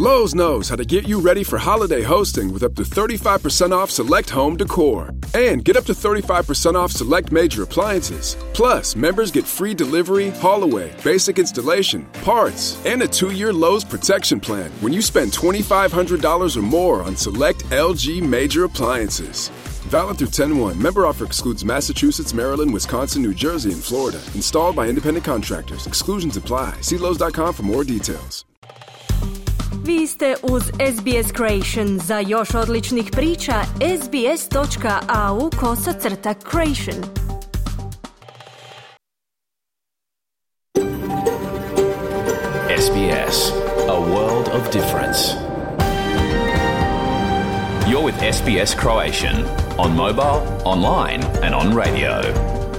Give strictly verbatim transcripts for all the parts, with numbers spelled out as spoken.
Lowe's knows how to get you ready for holiday hosting with up to thirty-five percent off select home decor. And get up to thirty-five percent off select major appliances. Plus, members get free delivery, haul-away, basic installation, parts, and a two-year Lowe's protection plan when you spend twenty-five hundred dollars or more on select L G major appliances. Valid through ten one. Member offer excludes Massachusetts, Maryland, Wisconsin, New Jersey, and Florida. Installed by independent contractors. Exclusions apply. See Lowe's dot com for more details. Vi ste uz S B S Creation. Za još odličnih priča, sbs.au kosacrta creation. S B S, a world of difference. You're with S B S Croatian on mobile, online and on radio.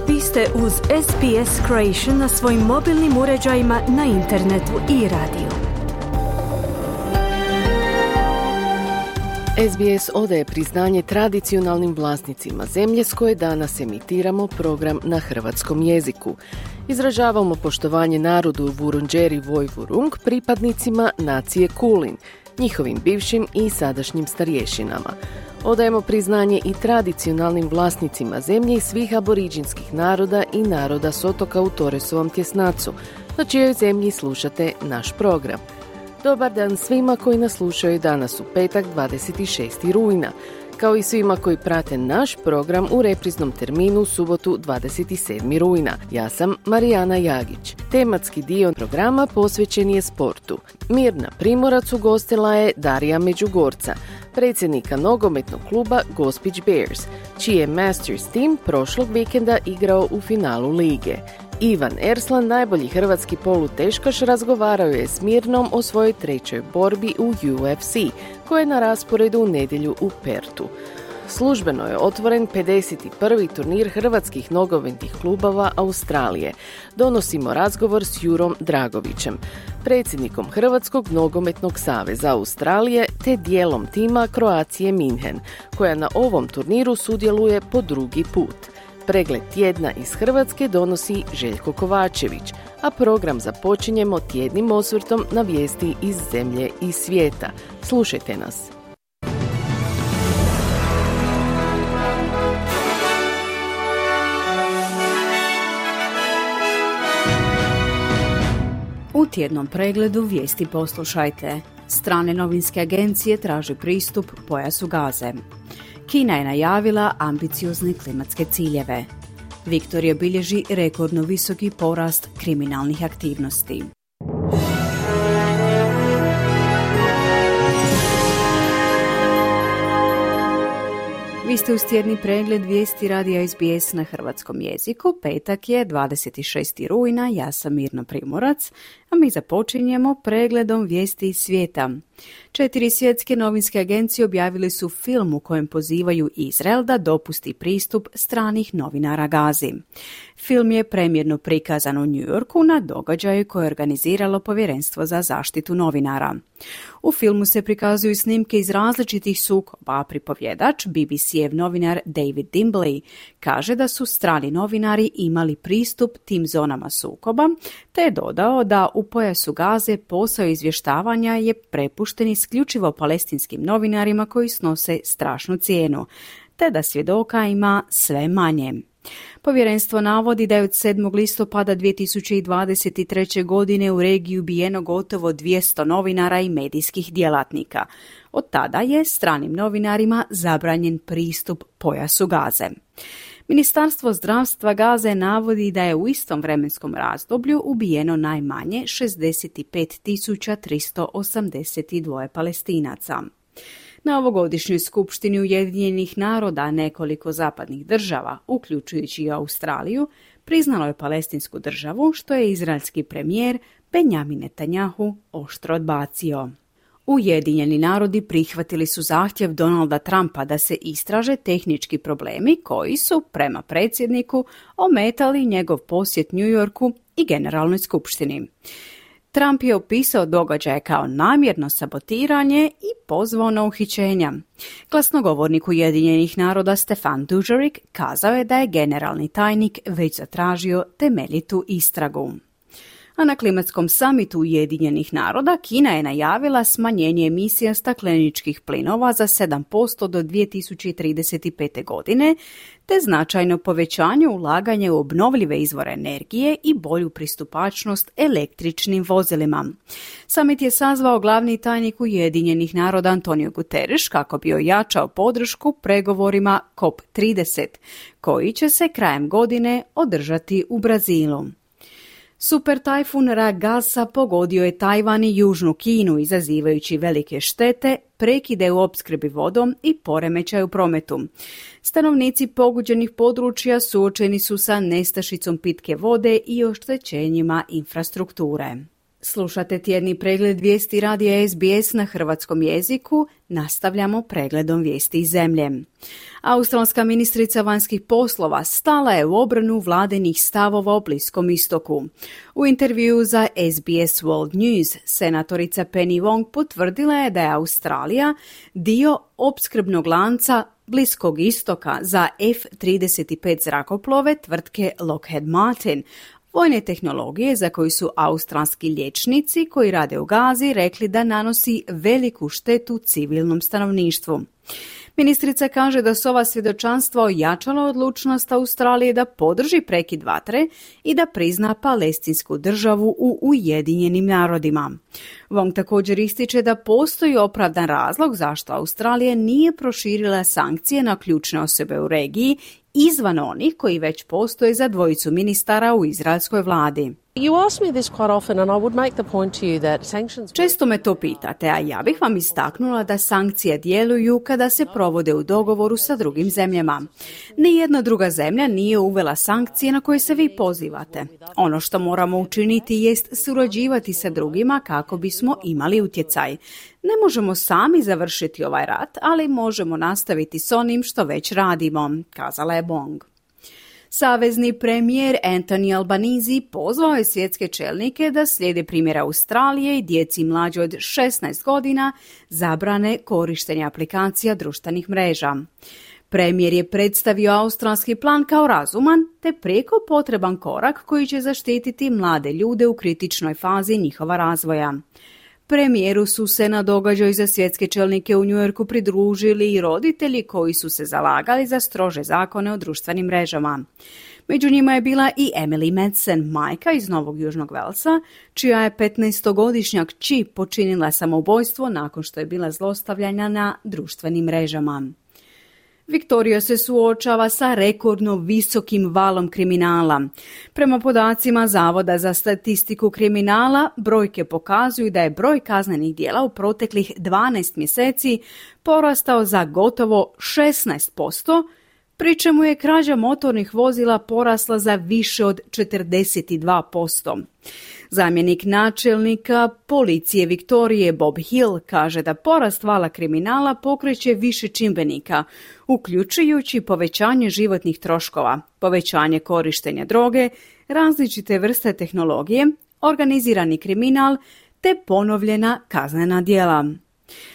Vi ste uz S B S Creation na svojim mobilnim uređajima, na internetu i radiju. S B S odaje priznanje tradicionalnim vlasnicima zemlje s koje danas emitiramo program na hrvatskom jeziku. Izražavamo poštovanje narodu Vurundjeri Vojvurung, pripadnicima nacije Kulin, njihovim bivšim i sadašnjim starješinama. Odajemo priznanje i tradicionalnim vlasnicima zemlje i svih aboriđinskih naroda i naroda s otoka u Torresovom tjesnacu, na čijoj zemlji slušate naš program. Dobar dan svima koji nas slušaju danas u petak dvadeset šestog rujna, kao i svima koji prate naš program u repriznom terminu u subotu dvadeset sedmog rujna. Ja sam Marijana Jagić. Tematski dio programa posvećen je sportu. Mirna Primorac ugostila je Darija Međugorca, predsjednika nogometnog kluba Gospić Bears, čiji je Masters tim prošlog vikenda igrao u finalu lige. Ivan Erslan, najbolji hrvatski poluteškaš, razgovarao je s Mirnom o svojoj trećoj borbi u U F C, koja je na rasporedu u nedjelju u Pertu. Službeno je otvoren pedeset prvi turnir hrvatskih nogometnih klubova Australije. Donosimo razgovor s Jurom Dragovićem, predsjednikom Hrvatskog nogometnog saveza Australije, te dijelom tima Croatie München, koja na ovom turniru sudjeluje po drugi put. Pregled tjedna iz Hrvatske donosi Željko Kovačević, a program započinjemo tjednim osvrtom na vijesti iz zemlje i svijeta. Slušajte nas. U tjednom pregledu vijesti poslušajte. Strane novinske agencije traže pristup pojasu Gaze. Kina je najavila ambiciozne klimatske ciljeve. Viktorija bilježi rekordno visoki porast kriminalnih aktivnosti. Vi ste uz tjedni pregled vijesti radija S B S na hrvatskom jeziku. Petak je dvadeset šestog rujna, ja sam Mirna Primorac, a mi započinjemo pregledom vijesti iz svijeta. Četiri svjetske novinske agencije objavili su film u kojem pozivaju Izrael da dopusti pristup stranih novinara Gazi. Film je premijerno prikazan u New Yorku na događaju koje je organiziralo Povjerenstvo za zaštitu novinara. U filmu se prikazuju snimke iz različitih sukoba, a pripovjedač B B C-ev novinar David Dimbley kaže da su strani novinari imali pristup tim zonama sukoba, te je dodao da u pojasu Gaze posao izvještavanja je prepušten isključivo palestinskim novinarima koji snose strašnu cijenu, te da svjedoka ima sve manje. Povjerenstvo navodi da je od sedmog listopada dvije tisuće dvadeset treće. godine u regiji ubijeno gotovo dvjesto novinara i medijskih djelatnika. Od tada je stranim novinarima zabranjen pristup pojasu Gaze. Ministarstvo zdravstva Gaze navodi da je u istom vremenskom razdoblju ubijeno najmanje šezdeset pet tisuća tristo osamdeset dva Palestinaca. Na ovogodišnjoj skupštini Ujedinjenih naroda nekoliko zapadnih država, uključujući i Australiju, priznalo je palestinsku državu, što je izraelski premijer Benjamin Netanjahu oštro odbacio. Ujedinjeni narodi prihvatili su zahtjev Donalda Trumpa da se istraže tehnički problemi koji su, prema predsjedniku, ometali njegov posjet New Yorku i Generalnoj skupštini. Trump je opisao događaje kao namjerno sabotiranje i pozvao na uhićenja. Glasnogovornik Ujedinjenih naroda Stefan Dujarric kazao je da je generalni tajnik već zatražio temeljitu istragu. a na klimatskom samitu Ujedinjenih naroda Kina je najavila smanjenje emisija stakleničkih plinova za sedam posto do dvije tisuće trideset pete. godine, te značajno povećanje ulaganja u obnovljive izvore energije i bolju pristupačnost električnim vozilima. Samit je sazvao glavni tajnik Ujedinjenih naroda Antonio Guterres kako bi ojačao podršku pregovorima C O P trideset, koji će se krajem godine održati u Brazilu. Super tajfun Ragasa pogodio je Tajvan i Južnu Kinu, izazivajući velike štete, prekide u opskrbi vodom i poremećaj u prometu. Stanovnici pogođenih područja suočeni su sa nestašicom pitke vode i oštećenjima infrastrukture. Slušate tjedni pregled vijesti radija S B S na hrvatskom jeziku. Nastavljamo pregledom vijesti iz zemlje. Australska ministrica vanjskih poslova stala je u obranu vladinih stavova o Bliskom istoku. U intervjuu za S B S World News senatorica Penny Wong potvrdila je da je Australija dio opskrbnog lanca Bliskog istoka za F trideset pet zrakoplove tvrtke Lockheed Martin, vojne tehnologije za koju su australski liječnici koji rade u Gazi rekli da nanosi veliku štetu civilnom stanovništvu. Ministrica kaže da su ova svjedočanstva ojačala odlučnost Australije da podrži prekid vatre i da prizna palestinsku državu u Ujedinjenim narodima. Wong također ističe da postoji opravdan razlog zašto Australija nije proširila sankcije na ključne osobe u regiji izvan onih koji već postoje za dvojicu ministara u izraelskoj vladi. Često me to pitate, a ja bih vam istaknula da sankcije djeluju kada se provode u dogovoru sa drugim zemljama. Nijedna druga zemlja nije uvela sankcije na koje se vi pozivate. Ono što moramo učiniti jest surađivati sa drugima kako bismo imali utjecaj. Ne možemo sami završiti ovaj rat, ali možemo nastaviti s onim što već radimo, kazala je Wong. Savezni premijer Anthony Albanese pozvao je svjetske čelnike da slijede primjer Australije i djeci mlađe od šesnaest godina zabrane korištenja aplikacija društvenih mreža. Premijer je predstavio australski plan kao razuman te prijeko potreban korak koji će zaštititi mlade ljude u kritičnoj fazi njihova razvoja. Premijeru su se na događaju za svjetske čelnike u New Yorku pridružili i roditelji koji su se zalagali za strože zakone o društvenim mrežama. Među njima je bila i Emily Madsen, majka iz Novog Južnog Velsa, čija je petnaestogodišnja kći počinila samoubojstvo nakon što je bila zlostavljana na društvenim mrežama. Viktorija se suočava sa rekordno visokim valom kriminala. Prema podacima Zavoda za statistiku kriminala, brojke pokazuju da je broj kaznenih djela u proteklih dvanaest mjeseci porastao za gotovo šesnaest posto, pri čemu je krađa motornih vozila porasla za više od četrdeset dva posto. Zamjenik načelnika policije Viktorije Bob Hill kaže da porast vala kriminala pokreće više čimbenika, uključujući povećanje životnih troškova, povećanje korištenja droge, različite vrste tehnologije, organizirani kriminal te ponovljena kaznena djela.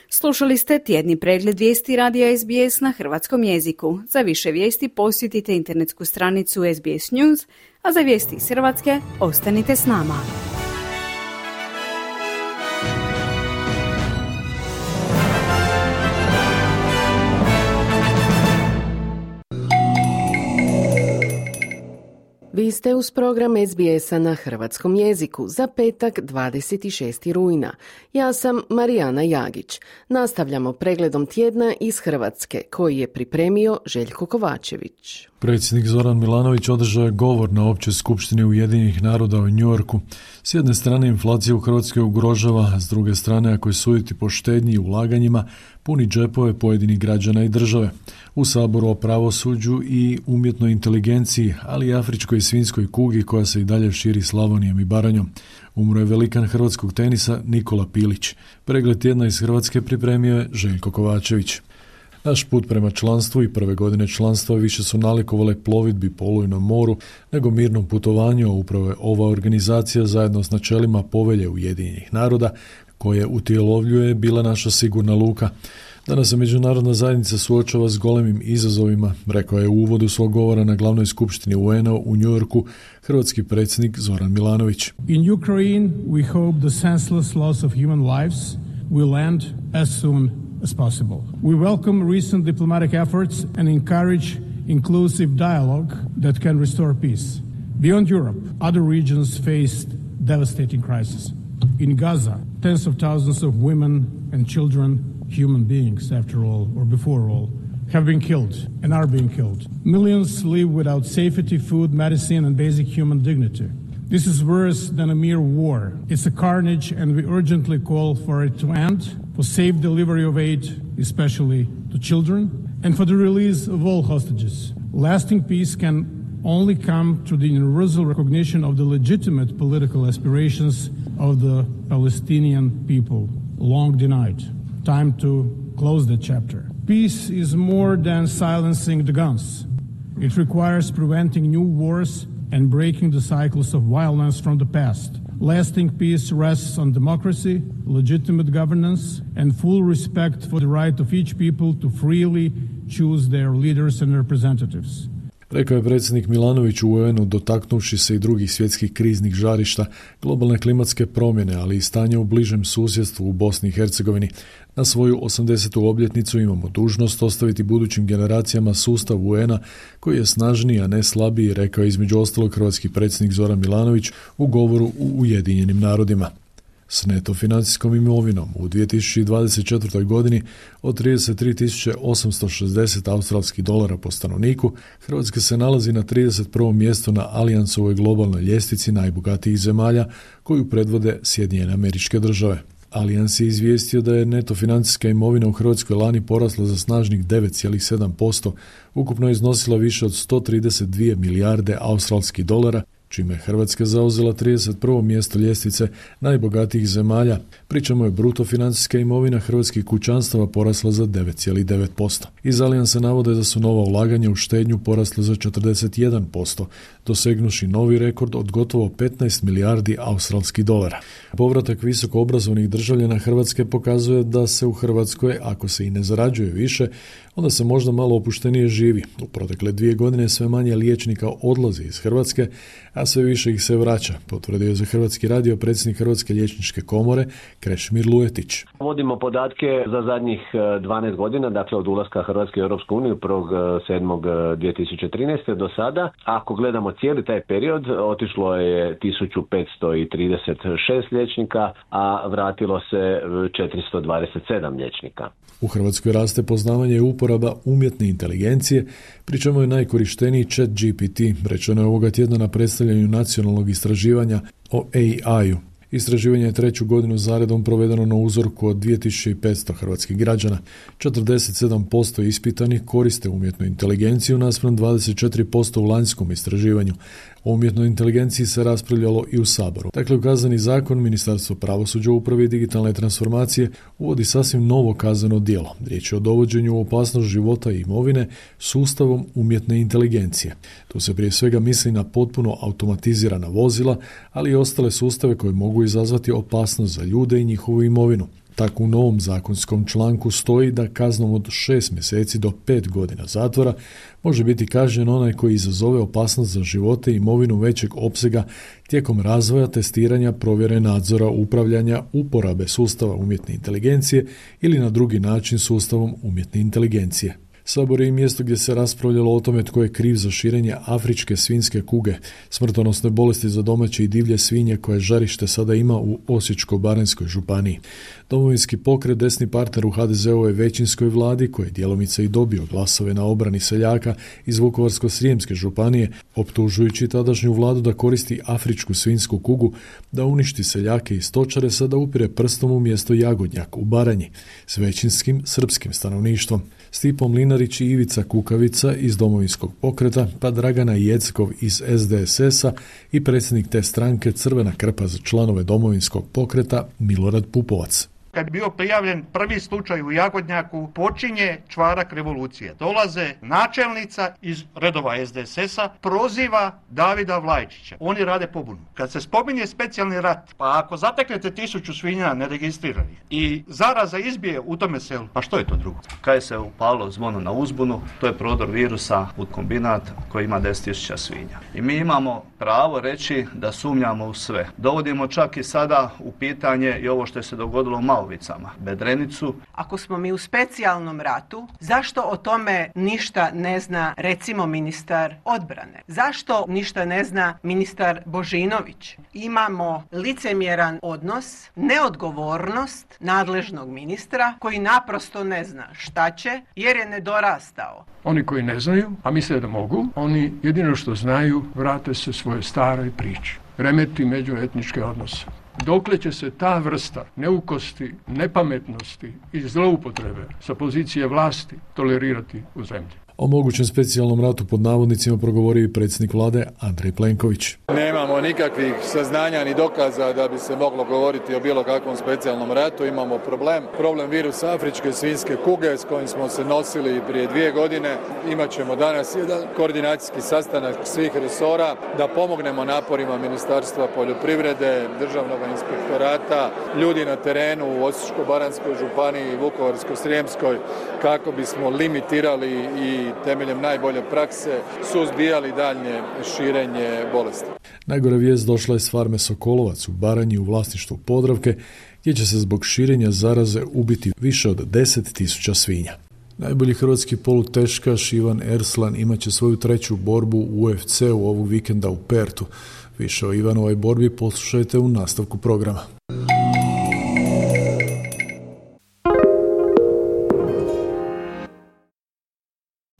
Slušali ste tjedni pregled vijesti radija S B S na hrvatskom jeziku. Za više vijesti posjetite internetsku stranicu S B S News, a za vijesti iz Hrvatske ostanite s nama. Vi ste uz program S B S-a na hrvatskom jeziku za petak dvadeset šestog rujna. Ja sam Marijana Jagić. Nastavljamo pregledom tjedna iz Hrvatske koji je pripremio Željko Kovačević. Predsjednik Zoran Milanović održao je govor na Općoj skupštini Ujedinjenih naroda u New Yorku. S jedne strane inflacija u Hrvatskoj ugrožava, a s druge strane ako je suditi po štednji i ulaganjima, puni džepove pojedinih građana i države. U Saboru o pravosuđu i umjetnoj inteligenciji, ali i afričkoj i svinjskoj kugi koja se i dalje širi Slavonijom i Baranjom. Umro je velikan hrvatskog tenisa Nikola Pilić. Pregled tjedna iz Hrvatske pripremio je Željko Kovačević. Naš put prema članstvu i prve godine članstva više su nalikovale plovidbi po olujnom moru nego mirnom putovanju, a upravo je ova organizacija zajedno s načelima Povelje Ujedinjenih naroda koje utjelovljuje bila naša sigurna luka. Danas se međunarodna zajednica suočava s golemim izazovima, rekao je u uvodu svog govora na glavnoj skupštini U N-a u Njujorku hrvatski predsjednik Zoran Milanović. In Ukraine we hope the senseless loss of human lives will end as soon as possible. We welcome recent diplomatic efforts and encourage inclusive dialogue that can restore peace. Beyond Europe, other regions faced devastating crises. In Gaza, tens of thousands of women and children, human beings after all, or before all, have been killed and are being killed. Millions live without safety, food, medicine, and basic human dignity. This is worse than a mere war. It's a carnage, and we urgently call for it to end, for safe delivery of aid, especially to children, and for the release of all hostages. Lasting peace can only come through the universal recognition of the legitimate political aspirations of the Palestinian people, long denied. Time to close that chapter. Peace is more than silencing the guns. It requires preventing new wars and breaking the cycles of violence from the past. Lasting peace rests on democracy, legitimate governance, and full respect for the right of each people to freely choose their leaders and representatives. Rekao je predsjednik Milanović u U N-u, dotaknuvši se i drugih svjetskih kriznih žarišta, globalne klimatske promjene, ali i stanja u bližem susjedstvu u Bosni i Hercegovini. Na svoju osamdesetu obljetnicu imamo dužnost ostaviti budućim generacijama sustav U N-a koji je snažniji, a ne slabiji, rekao je između ostalog hrvatski predsjednik Zoran Milanović u govoru u Ujedinjenim narodima. S neto financijskom imovinom u dvije tisuće dvadeset četvrtoj godini od trideset tri tisuće osamsto šezdeset australskih dolara po stanovniku, Hrvatska se nalazi na trideset prvom mjestu na Alliansovoj globalnoj ljestvici najbogatijih zemalja koju predvode Sjedinjene Američke Države. Allians je izvijestio da je neto financijska imovina u Hrvatskoj lani porasla za snažnih devet zarez sedam posto, ukupno je iznosila više od sto trideset dvije milijarde australskih dolara, čime je Hrvatska zauzela trideset prvo mjesto ljestvice najbogatijih zemalja, pri čemu je bruto financijska imovina hrvatskih kućanstava porasla za devet zarez devet posto. Iz Alliansa navode da su nova ulaganja u štednju porasla za četrdeset jedan posto, dosegnuši novi rekord od gotovo petnaest milijardi australskih dolara. Povratak visoko obrazovnih državljana Hrvatske pokazuje da se u Hrvatskoj, ako se i ne zarađuje više, onda se možda malo opuštenije živi. U protekle dvije godine sve manje liječnika odlazi iz Hrvatske, a sve više ih se vraća, potvrdio je za Hrvatski radio predsjednik Hrvatske liječničke komore Krešimir Lujetić. Vodimo podatke za zadnjih dvanaest godina, dakle od ulaska Hrvatske u Europsku uniju prvog sedmog dvije tisuće trinaeste do sada. Ako gledamo cijeli taj period, otišlo je tisuću petsto trideset šest liječnika, a vratilo se četiristo dvadeset sedam liječnika. U Hrvatskoj raste poznavanje i uporaba umjetne inteligencije, pri čemu je najkorišteniji Chat G P T, rečeno je ovoga tjedna na predstavljanju nacionalnog istraživanja o A I-u. Istraživanje je treću godinu zaredom provedeno na uzorku od dvije tisuće petsto hrvatskih građana. četrdeset sedam posto ispitanih koriste umjetnu inteligenciju naspram dvadeset četiri posto u lanjskom istraživanju. O umjetnoj inteligenciji se raspravljalo i u Saboru. Dakle, u Kazneni zakon Ministarstvo pravosuđa, uprave i digitalne transformacije uvodi sasvim novo kazneno djelo. Riječ je o dovođenju u opasnost života i imovine sustavom umjetne inteligencije. Tu se prije svega misli na potpuno automatizirana vozila, ali i ostale sustave koje mogu izazvati opasnost za ljude i njihovu imovinu. Tako u novom zakonskom članku stoji da kaznom od šest mjeseci do pet godina zatvora može biti kažnjen onaj koji izazove opasnost za živote i imovinu većeg opsega tijekom razvoja, testiranja, provjere nadzora, upravljanja, uporabe sustava umjetne inteligencije ili na drugi način sustavom umjetne inteligencije. Sabor je i mjesto gdje se raspravljalo o tome tko je kriv za širenje afričke svinjske kuge, smrtonosne bolesti za domaće i divlje svinje koje žarište sada ima u Osječko-baranjskoj županiji. Domovinski pokret, desni partner u H D Z ovoj većinskoj vladi, koji je djelomice i dobio glasove na obrani seljaka iz Vukovarsko-srijemske županije, optužujući tadašnju vladu da koristi afričku svinjsku kugu da uništi seljake i stočare, sada upire prstom u mjesto Jagodnjak u Baranji s većinskim srpskim stanovništvom. Stipo Mlinarić i Ivica Kukavica iz Domovinskog pokreta, pa Dragana Jeckov iz S D S S-a i predsjednik te stranke Crvena krpa za članove Domovinskog pokreta Milorad Pupovac. kad je bio prijavljen prvi slučaj u Jagodnjaku, počinje čvarak revolucije. Dolaze načelnica iz redova es de es es-a, proziva Davida Vlajčića. Oni rade pobunu. Kad se spominje specijalni rat, pa ako zateknete tisuću svinja neregistriranih i zaraza izbije u tome selu, pa što je to drugo? Kad se upalo zvono na uzbunu, to je prodor virusa u kombinat koji ima deset tisuća svinja. I mi imamo pravo reći da sumnjamo u sve. Dovodimo čak i sada u pitanje i ovo što je se dogodilo u Malovicama, Bedrenicu. Ako smo mi u specijalnom ratu, zašto o tome ništa ne zna recimo ministar odbrane? Zašto ništa ne zna ministar Božinović? Imamo licemjeran odnos, neodgovornost nadležnog ministra koji naprosto ne zna šta će jer je nedorastao. Oni koji ne znaju, a misle da mogu, oni jedino što znaju vrate se svoje staroj priči. Remeti međuetničke odnose. Dokle će se ta vrsta neukosti, nepametnosti i zloupotrebe sa pozicije vlasti tolerirati u zemlji? O mogućem specijalnom ratu pod navodnicima progovorio i predsjednik vlade Andrej Plenković. Nemamo nikakvih saznanja ni dokaza da bi se moglo govoriti o bilo kakvom specijalnom ratu. Imamo problem, problem virusa afričke svinjske kuge s kojim smo se nosili prije dvije godine. Imaćemo danas jedan koordinacijski sastanak svih resora da pomognemo naporima Ministarstva poljoprivrede, Državnog inspektorata, ljudi na terenu u Osječko-baranjskoj županiji i Vukovarsko-srijemskoj kako bismo limitirali i temeljem najbolje prakse suzbijali daljnje širenje bolesti. Najgora vijest došla je s farme Sokolovac u Baranji u vlasništvu Podravke, gdje će se zbog širenja zaraze ubiti više od deset tisuća svinja. Najbolji hrvatski poluteškaš Ivan Erslan imat će svoju treću borbu u U F C-u ovog vikenda u Pertu. Više o Ivanovoj borbi poslušajte u nastavku programa.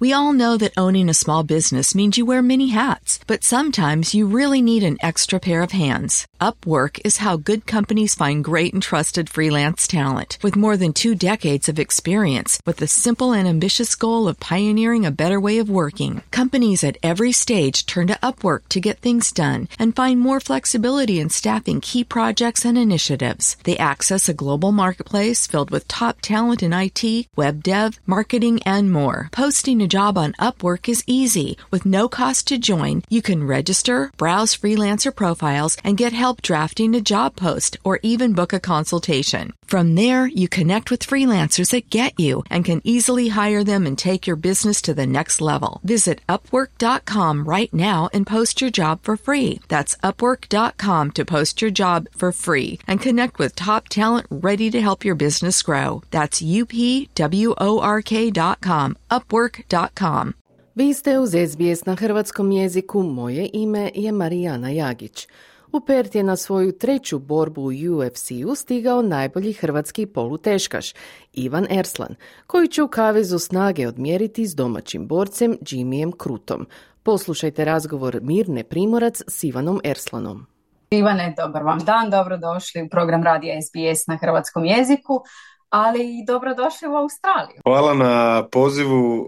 We all know that owning a small business means you wear many hats, but sometimes you really need an extra pair of hands. Upwork is how good companies find great and trusted freelance talent. With more than two decades of experience, with the simple and ambitious goal of pioneering a better way of working, companies at every stage turn to Upwork to get things done and find more flexibility in staffing key projects and initiatives. They access a global marketplace filled with top talent in I T, web dev, marketing, and more. Posting a job on Upwork is easy. With no cost to join, you can register, browse freelancer profiles, and get help drafting a job post or even book a consultation. From there, you connect with freelancers that get you and can easily hire them and take your business to the next level. Visit upwork dot com right now and post your job for free. That's upwork dot com to post your job for free and connect with top talent ready to help your business grow. That's U P W O R K dot com, upwork dot com. Vi ste uz S B S na hrvatskom jeziku, moje ime je Marijana Jagić. U Pert je na svoju treću borbu u U F C-u stigao najbolji hrvatski poluteškaš, Ivan Erslan, koji će u kavezu snage odmjeriti s domaćim borcem Jimmyjem Crutom. Poslušajte razgovor Mirne Primorac s Ivanom Erslanom. Ivane, dobar vam dan, dobrodošli u program radija S B S na hrvatskom jeziku, ali i dobrodošli u Australiju. Hvala na pozivu uh,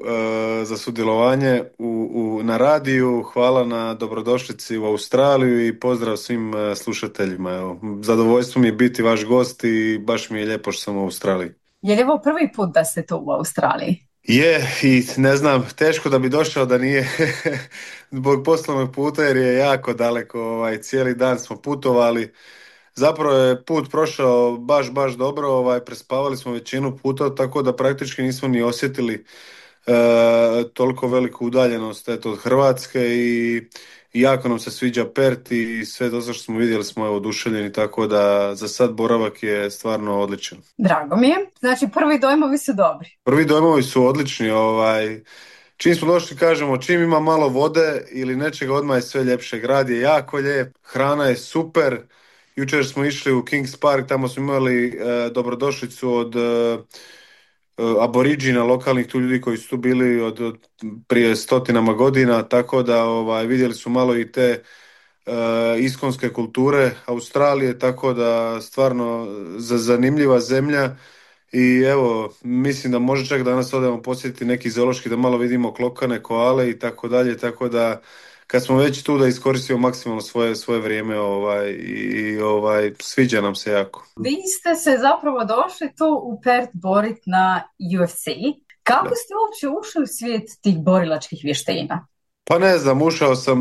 za sudjelovanje u, u, na radiju, hvala na dobrodošlici u Australiju i pozdrav svim uh, slušateljima. Evo, zadovoljstvo mi je biti vaš gost i baš mi je lijepo što sam u Australiji. Je li ovo prvi put da ste tu u Australiji? Je, i ne znam, teško da bi došao da nije zbog poslovnog puta jer je jako daleko, ovaj, cijeli dan smo putovali. Zapravo je put prošao baš, baš dobro, ovaj, prespavali smo većinu puta, tako da praktički nismo ni osjetili e, toliko veliku udaljenost eto, od Hrvatske i, i jako nam se sviđa Pert i sve to što smo vidjeli smo evo, oduševljeni, tako da za sad boravak je stvarno odličan. Drago mi je, znači prvi dojmovi su dobri. Prvi dojmovi su odlični, ovaj, čim smo došli kažemo čim ima malo vode ili nečega odmah je sve ljepše, grad je jako lijep, hrana je super. Jučer smo išli u Kings Park, tamo smo imali e, dobrodošlicu od e, aboriđina, lokalnih tu ljudi koji su tu bili od, od prije stotinama godina, tako da ovaj, vidjeli su malo i te e, iskonske kulture Australije, tako da stvarno za, zanimljiva zemlja i evo, mislim da može čak danas odemo posjetiti neki zoološki da malo vidimo klokane, koale i tako dalje, tako da kad smo već tu da iskoristimo maksimalno svoje, svoje vrijeme ovaj, i ovaj, sviđa nam se jako. Vi ste se zapravo došli tu u Perth borit na U F C. Kako Da. ste uopće ušli u svijet tih borilačkih vještina? Pa ne znam, ušao sam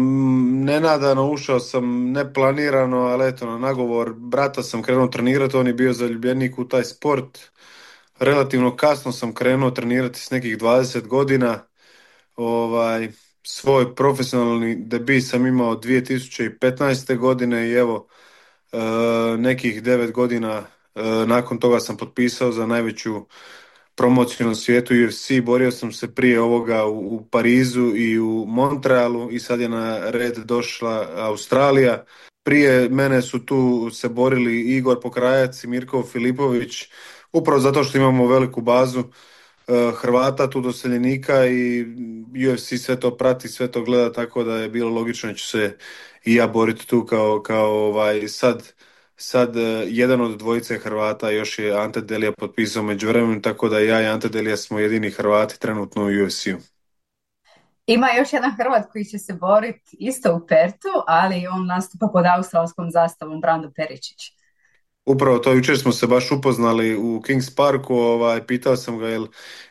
nenadano, ušao sam neplanirano, ali eto, na nagovor brata sam krenuo trenirati, on je bio zaljubljenik u taj sport. Relativno kasno sam krenuo trenirati s nekih dvadeset godina. Ovaj, svoj profesionalni debut sam imao dvije tisuće petnaeste. godine i evo, e, nekih devet godina e, nakon toga sam potpisao za najveću promociju na svijetu U F C. Borio sam se prije ovoga u, u Parizu i u Montrealu i sad je na red došla Australija. Prije mene su tu se borili Igor Pokrajac i Mirko Filipović, upravo zato što imamo veliku bazu uh, Hrvata, tu doseljenika i U F C sve to prati, sve to gleda, tako da je bilo logično da ću se i ja boriti tu kao, kao ovaj, sad Sad uh, jedan od dvojice Hrvata, još je Ante Delija potpisao međuvremenu, tako da ja i Ante Delija smo jedini Hrvati trenutno u U F C-u. Ima još jedan Hrvat koji će se boriti isto u Pertu, ali on nastupa pod australskom zastavom, Brando Peričić. Upravo to, jučer smo se baš upoznali u Kings Parku, ovaj, pitao sam ga jel,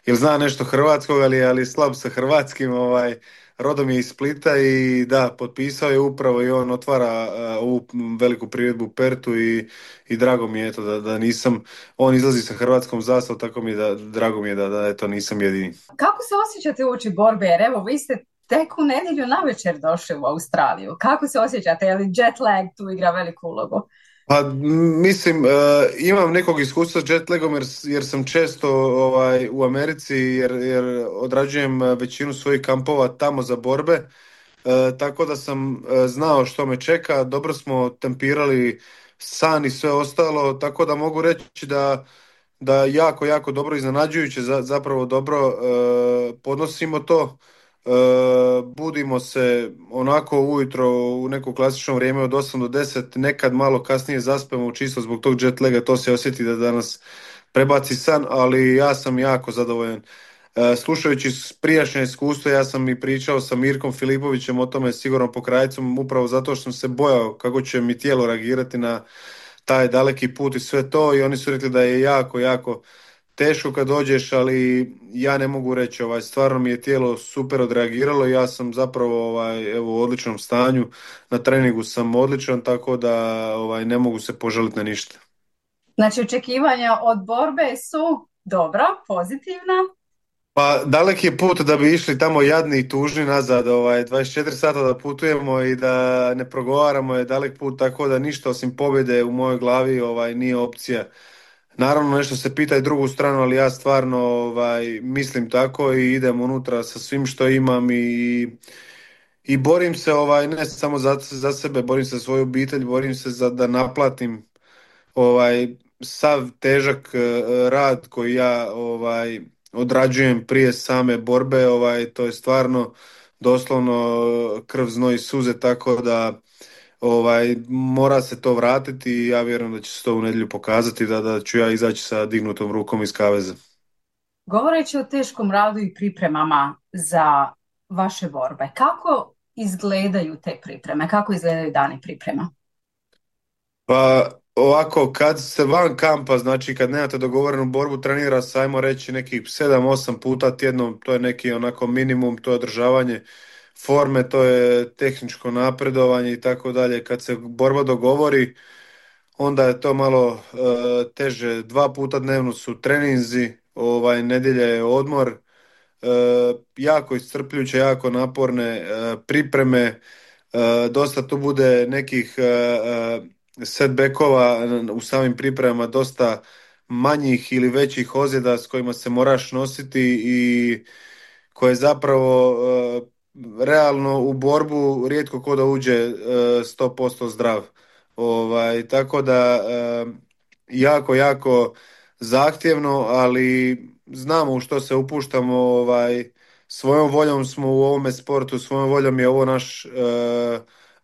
jel zna nešto hrvatskog, ali, ali slab sa hrvatskim, ovaj, rodom je iz Splita i da, potpisao je upravo i on otvara uh, ovu veliku priredbu u Pertu i, i drago mi je eto da, da nisam, on izlazi sa hrvatskom zastavom, tako mi je da, drago mi je da, da eto nisam jedini. Kako se osjećate uoči borbe? Jer evo, vi ste tek u nedjelju navečer došli u Australiju. Kako se osjećate? Je li jet lag tu igra veliku ulogu? Pa m, mislim, uh, imam nekog iskustva s jetlagom jer, jer sam često ovaj, u Americi jer, jer odrađujem uh, većinu svojih kampova tamo za borbe, uh, tako da sam uh, znao što me čeka, dobro smo tempirali san i sve ostalo, tako da mogu reći da, da jako, jako dobro iznenađujuće, za, zapravo dobro uh, podnosimo to. Uh, budimo se onako ujutro u neko klasično vrijeme od osam do deset, nekad malo kasnije zaspemo čisto zbog tog jet laga, to se osjeti da danas prebaci san, ali ja sam jako zadovoljan. Uh, slušajući prijašnje iskustvo, ja sam i pričao sa Mirkom Filipovićem o tome sigurno pokrajcom, upravo zato što sam se bojao kako će mi tijelo reagirati na taj daleki put i sve to, i oni su rekli da je jako, jako teško kad dođeš, ali ja ne mogu reći, ovaj, stvarno mi je tijelo super odreagiralo, ja sam zapravo ovaj, evo, u odličnom stanju, na treningu sam odličan, tako da ovaj, ne mogu se požaliti na ništa. Znači, očekivanja od borbe su dobra, pozitivna. Pa daleki je put da bi išli tamo jadni i tužni nazad, ovaj, dvadeset četiri sata da putujemo i da ne progovaramo je dalek put, tako da ništa osim pobjede u mojoj glavi ovaj, nije opcija. Naravno nešto se pita i drugu stranu, ali ja stvarno ovaj, mislim tako i idem unutra sa svim što imam i, i borim se ovaj, ne samo za, za sebe, borim se za svoju obitelj, borim se za da naplatim ovaj, sav težak uh, rad koji ja ovaj, odrađujem prije same borbe, ovaj, to je stvarno doslovno krv, znoj i suze, tako da ovaj, mora se to vratiti i ja vjerujem da će se to u nedjelju pokazati, da, da ću ja izaći sa dignutom rukom iz kaveza. Govoreći o teškom radu i pripremama za vaše borbe, kako izgledaju te pripreme? Kako izgledaju dani priprema? Pa ovako, kad ste van kampa, znači kad nemate dogovorenu borbu, trenira se, ajmo reći, nekih sedam osam puta tjedno, to je neki onako minimum, to je održavanje forme, to je tehničko napredovanje i tako dalje. Kad se borba dogovori, onda je to malo uh, teže. Dva puta dnevno su treninzi, ovaj, nedjelja je odmor, uh, jako iscrpljujuće, jako naporne uh, pripreme, uh, dosta tu bude nekih uh, setbackova u samim pripremama, dosta manjih ili većih ozljeda s kojima se moraš nositi i koje zapravo uh, realno u borbu rijetko ko da uđe uh, sto posto zdrav. Ovaj, tako da uh, jako, jako zahtjevno, ali znamo u što se upuštamo, ovaj, svojom voljom smo u ovome sportu, svojom voljom je ovo naš uh,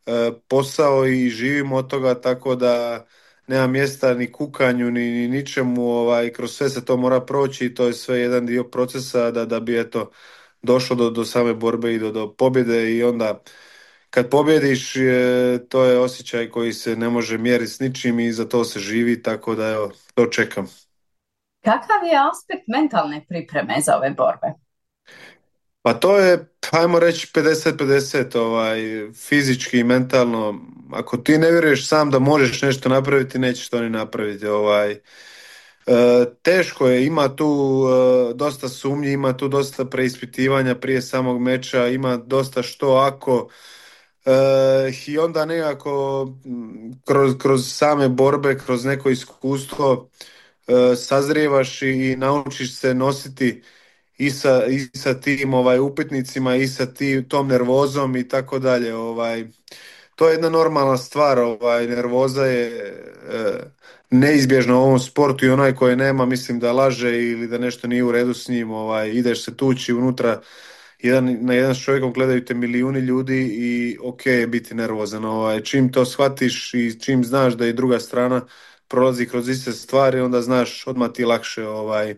uh, posao i živimo od toga, tako da nema mjesta ni kukanju, ni, ni ničemu, ovaj, kroz sve se to mora proći i to je sve jedan dio procesa da, da bi eto došlo do, do same borbe i do, do pobjede i onda kad pobjediš, to je osjećaj koji se ne može mjeriti s ničim i za to se živi, tako da evo, to čekam. Kakav je aspekt mentalne pripreme za ove borbe? Pa to je, ajmo reći, pedeset pedeset, ovaj, fizički i mentalno. Ako ti ne vjeruješ sam da možeš nešto napraviti, nećeš to ni napraviti. Ovaj. E, teško je, ima tu e, dosta sumnji, ima tu dosta preispitivanja prije samog meča, ima dosta što ako... E, i onda nekako kroz, kroz same borbe, kroz neko iskustvo e, sazrijevaš i naučiš se nositi i sa, i sa tim ovaj, upitnicima i sa tim, tom nervozom i tako dalje. Ovaj. To je jedna normalna stvar, ovaj, nervoza je e, neizbježna u ovom sportu i onaj koji nema, mislim da laže ili da nešto nije u redu s njim, ovaj, ideš se tući unutra, jedan, na jedan s čovjekom gledaju te milijuni ljudi i ok je biti nervozan. Ovaj. Čim to shvatiš i čim znaš da i druga strana prolazi kroz iste stvari, onda znaš odmah ti lakše. Ovaj.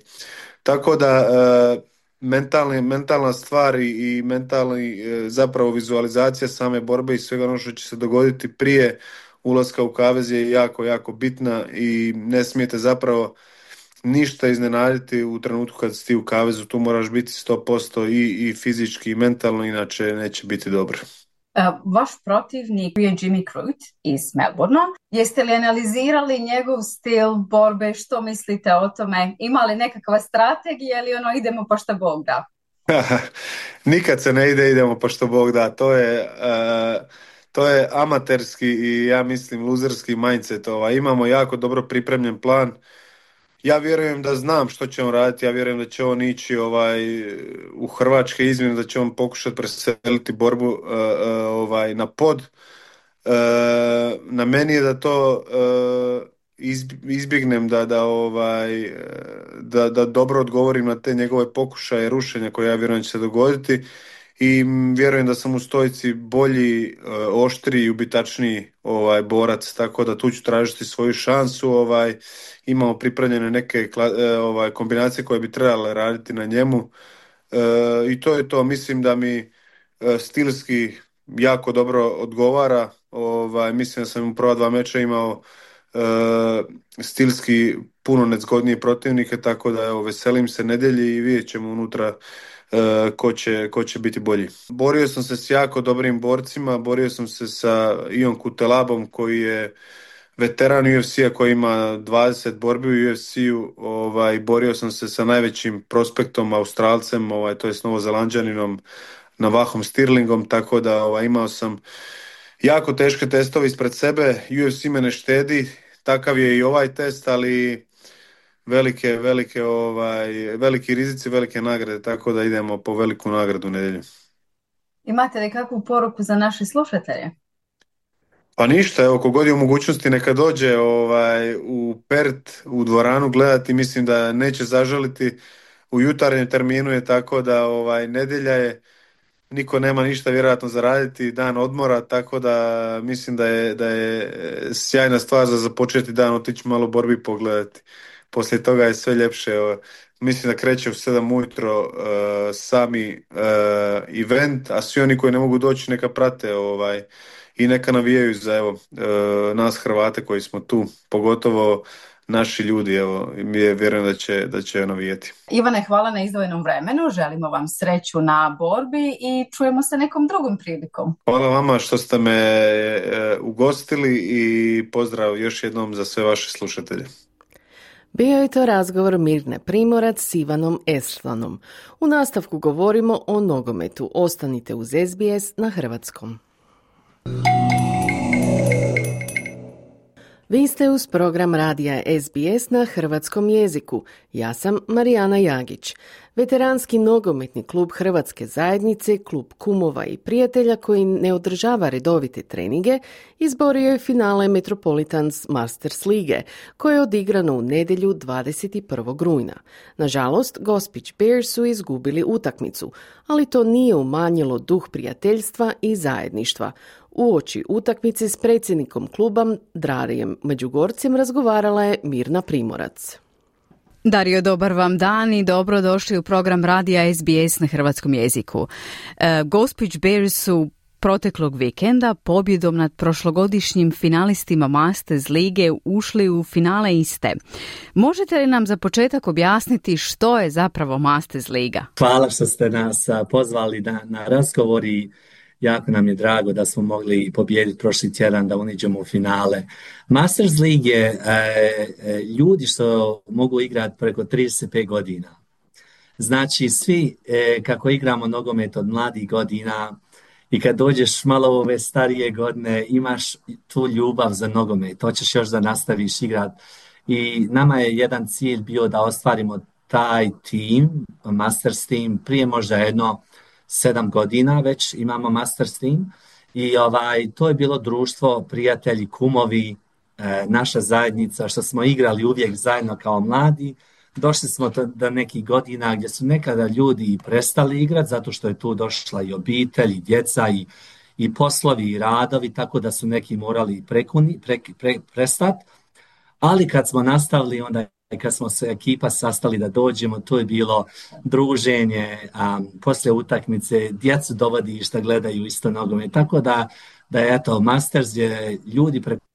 Tako da e, mentalni, mentalna stvar i, i mentalni e, zapravo vizualizacija same borbe i svega ono što će se dogoditi prije ulaska u kavez je jako, jako bitna i ne smijete zapravo ništa iznenaditi u trenutku kad si ti u kavezu, tu moraš biti sto posto i, i fizički i mentalno, inače neće biti dobro. Uh, vaš protivnik je Jimmy Crute iz Melbournea. Jeste li analizirali njegov stil borbe? Što mislite o tome? Ima li nekakva strategija ili ono idemo pa što Bog da? Nikad se ne ide, idemo pa što Bog da. To je, uh, to je amaterski i ja mislim luzerski mindset. Ovaj. Imamo jako dobro pripremljen plan. Ja vjerujem da znam što će on raditi, ja vjerujem da će on ići ovaj, u hrvačke izmjene, da će on pokušati preseliti borbu uh, uh, ovaj, na pod. Uh, na meni je da to uh, izbjegnem, da, da, ovaj, da, da dobro odgovorim na te njegove pokušaje rušenja koje ja vjerujem će se dogoditi i vjerujem da sam u stojici bolji, uh, oštriji i ubitačniji ovaj, borac, tako da tu ću tražiti svoju šansu. Ovaj, imamo pripremljene neke ovaj, kombinacije koje bi trebale raditi na njemu e, i to je to. Mislim da mi e, stilski jako dobro odgovara. Ovaj, mislim da sam u prva dva meča imao e, stilski puno nezgodnije protivnike, tako da evo, veselim se nedjelji i vidjet ćemo unutra e, ko, će, ko će biti bolji. Borio sam se s jako dobrim borcima, borio sam se sa Ion Kutelabom koji je veteran U F C-a koji ima dvadeset borbi u U F C-u, ovaj, borio sam se sa najvećim prospektom, Australcem, ovaj, to je s Novozelanđaninom, Navahom Stirlingom, tako da ovaj, imao sam jako teške testove ispred sebe. U F C me ne štedi, takav je i ovaj test, ali velike, velike, ovaj, veliki rizici, velike nagrade, tako da idemo po veliku nagradu u nedjelju. Imate li kakvu poruku za naše slušatelje? Pa ništa, evo, kogod je u mogućnosti neka dođe ovaj, u Perth, u dvoranu gledati, mislim da neće zažaliti. U jutarnjem terminu je tako da ovaj, nedjelja je, niko nema ništa vjerojatno zaraditi, dan odmora, tako da mislim da je, da je sjajna stvar za započeti dan, otići malo borbi pogledati. Poslije toga je sve ljepše. Mislim da kreće u sedam ujutro uh, sami uh, event, a svi oni koji ne mogu doći neka prate ovaj, i neka navijaju za evo, uh, nas Hrvate koji smo tu, pogotovo naši ljudi, evo, je vjerujem da će, da će navijeti. Ivane, hvala na izdvojenom vremenu, želimo vam sreću na borbi i čujemo se nekom drugom prilikom. Hvala vama što ste me uh, ugostili i pozdrav još jednom za sve vaše slušatelje. Bio je to razgovor Mirne Primorac s Ivanom Eslanom. U nastavku govorimo o nogometu. Ostanite uz S B S na hrvatskom. Vi ste uz program radija S B S na hrvatskom jeziku. Ja sam Marijana Jagić. Veteranski nogometni klub Hrvatske zajednice, klub kumova i prijatelja koji ne održava redovite treninge, izborio je finale Metropolitans Masters lige, koje je odigrano u nedjelju dvadeset prvog rujna. Nažalost, Gospić Bears su izgubili utakmicu, ali to nije umanjilo duh prijateljstva i zajedništva. Uoči utakmice s predsjednikom kluba Drarijem Međugorcem razgovarala je Mirna Primorac. Dario, dobar vam dan i dobrodošli u program radija S B S na hrvatskom jeziku. E, Gospić Bears su proteklog vikenda pobjedom nad prošlogodišnjim finalistima Masters lige ušli u finale iste. Možete li nam za početak objasniti što je zapravo Masters liga? Hvala što ste nas pozvali na, na razgovor i jako nam je drago da smo mogli pobijediti prošli tjedan da uniđemo u finale. Masters lige je e, ljudi što mogu igrati preko trideset pet godina. Znači svi e, kako igramo nogomet od mladih godina i kad dođeš malo u ove starije godine imaš tu ljubav za nogomet, hoćeš još da nastaviš igrati. I nama je jedan cilj bio da ostvarimo taj tim, Masters team, prije možda jedno sedam godina već imamo Masters team i ovaj, to je bilo društvo, prijatelji, kumovi, e, naša zajednica što smo igrali uvijek zajedno kao mladi. Došli smo do nekih godina gdje su nekada ljudi i prestali igrati zato što je tu došla i obitelj, i djeca, i, i poslovi, i radovi, tako da su neki morali prekuni, pre, pre, prestati. Ali kad smo nastavili, onda kad smo se ekipa sastali da dođemo, to je bilo druženje, um, poslije utakmice, djecu dovodiš da gledaju isto nogomet. Tako da, da je eto, Masters je ljudi preko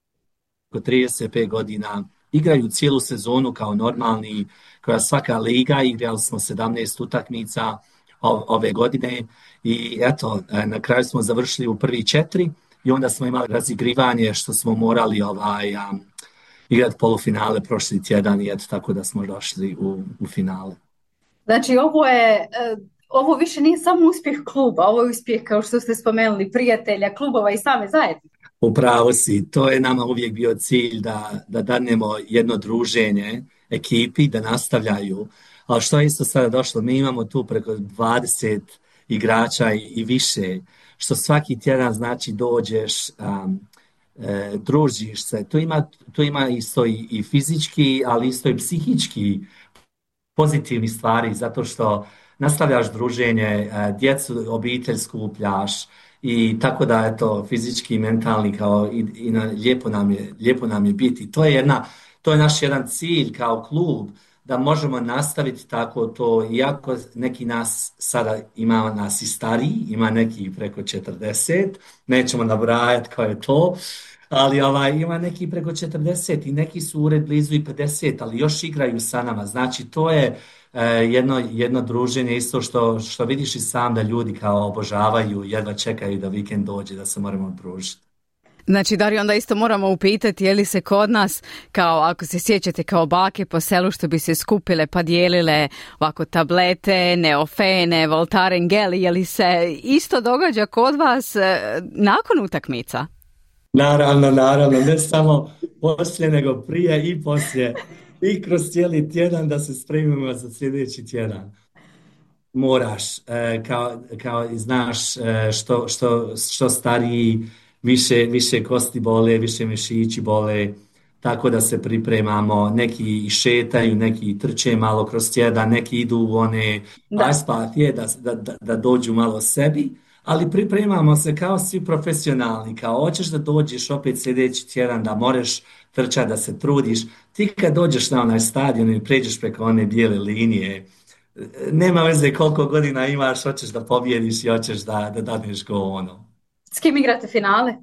trideset pet godina igraju cijelu sezonu kao normalni, koja svaka liga, igrali smo sedamnaest utakmica ove godine i eto, na kraju smo završili u prvi četiri i onda smo imali razigrivanje što smo morali ovaj, um, igrati polufinale prošli tjedan i eto tako da smo došli u, u finale. Znači ovo je, ovo više nije samo uspjeh kluba, ovo je uspjeh kao što ste spomenuli prijatelja, klubova i same zajednice. Upravo si, to je nama uvijek bio cilj da, da danemo jedno druženje ekipi, da nastavljaju. Ali što je isto sada došlo, mi imamo tu preko dvadeset igrača i, i više, što svaki tjedan znači dođeš, um, e, družiš se. To ima, to ima isto i, i fizički, ali isto i psihički pozitivni stvari, zato što nastavljaš druženje, djecu, obitelj skupljaš, i tako da eto fizički i mentalni kao i, i na, lijepo nam je lijepo nam je biti. To je jedna to je naš jedan cilj kao klub da možemo nastaviti tako to, iako neki nas sada ima nas i stariji, ima neki preko četrdeset, nećemo nabrajati kao je to, ali ovaj, ima neki preko četrdeset i neki su ured blizu i pedeset, ali još igraju sa nama. Znači to je Jedno, jedno druženje isto što, što vidiš i sam da ljudi kao obožavaju, jedva čekaju da vikend dođe, da se moramo družiti. Znači, Dario, onda isto moramo upitati je li se kod nas, kao ako se sjećate kao bake po selu što bi se skupile pa dijelile ovako tablete, neofene, voltaren gel, je li se isto događa kod vas nakon utakmica? Naravno, naravno, ne samo poslije, nego prije i poslije. I kroz cijeli tjedan da se spremimo za sljedeći tjedan. Moraš, e, kao, kao i znaš e, što, što, što stariji, više, više kosti bole, više mišići bole, tako da se pripremamo, neki šetaju, neki trče malo kroz tjedan, neki idu u one ice da, da, da dođu malo sebi, ali pripremamo se kao svi profesionalni, kao hoćeš da dođeš opet sljedeći tjedan, da moraš trčati, da se trudiš. Ti kad dođeš na onaj stadion i pređeš preko one bijele linije, nema veze koliko godina imaš, hoćeš da pobjediš i hoćeš da, da dadneš go ono. S kim igrate finale?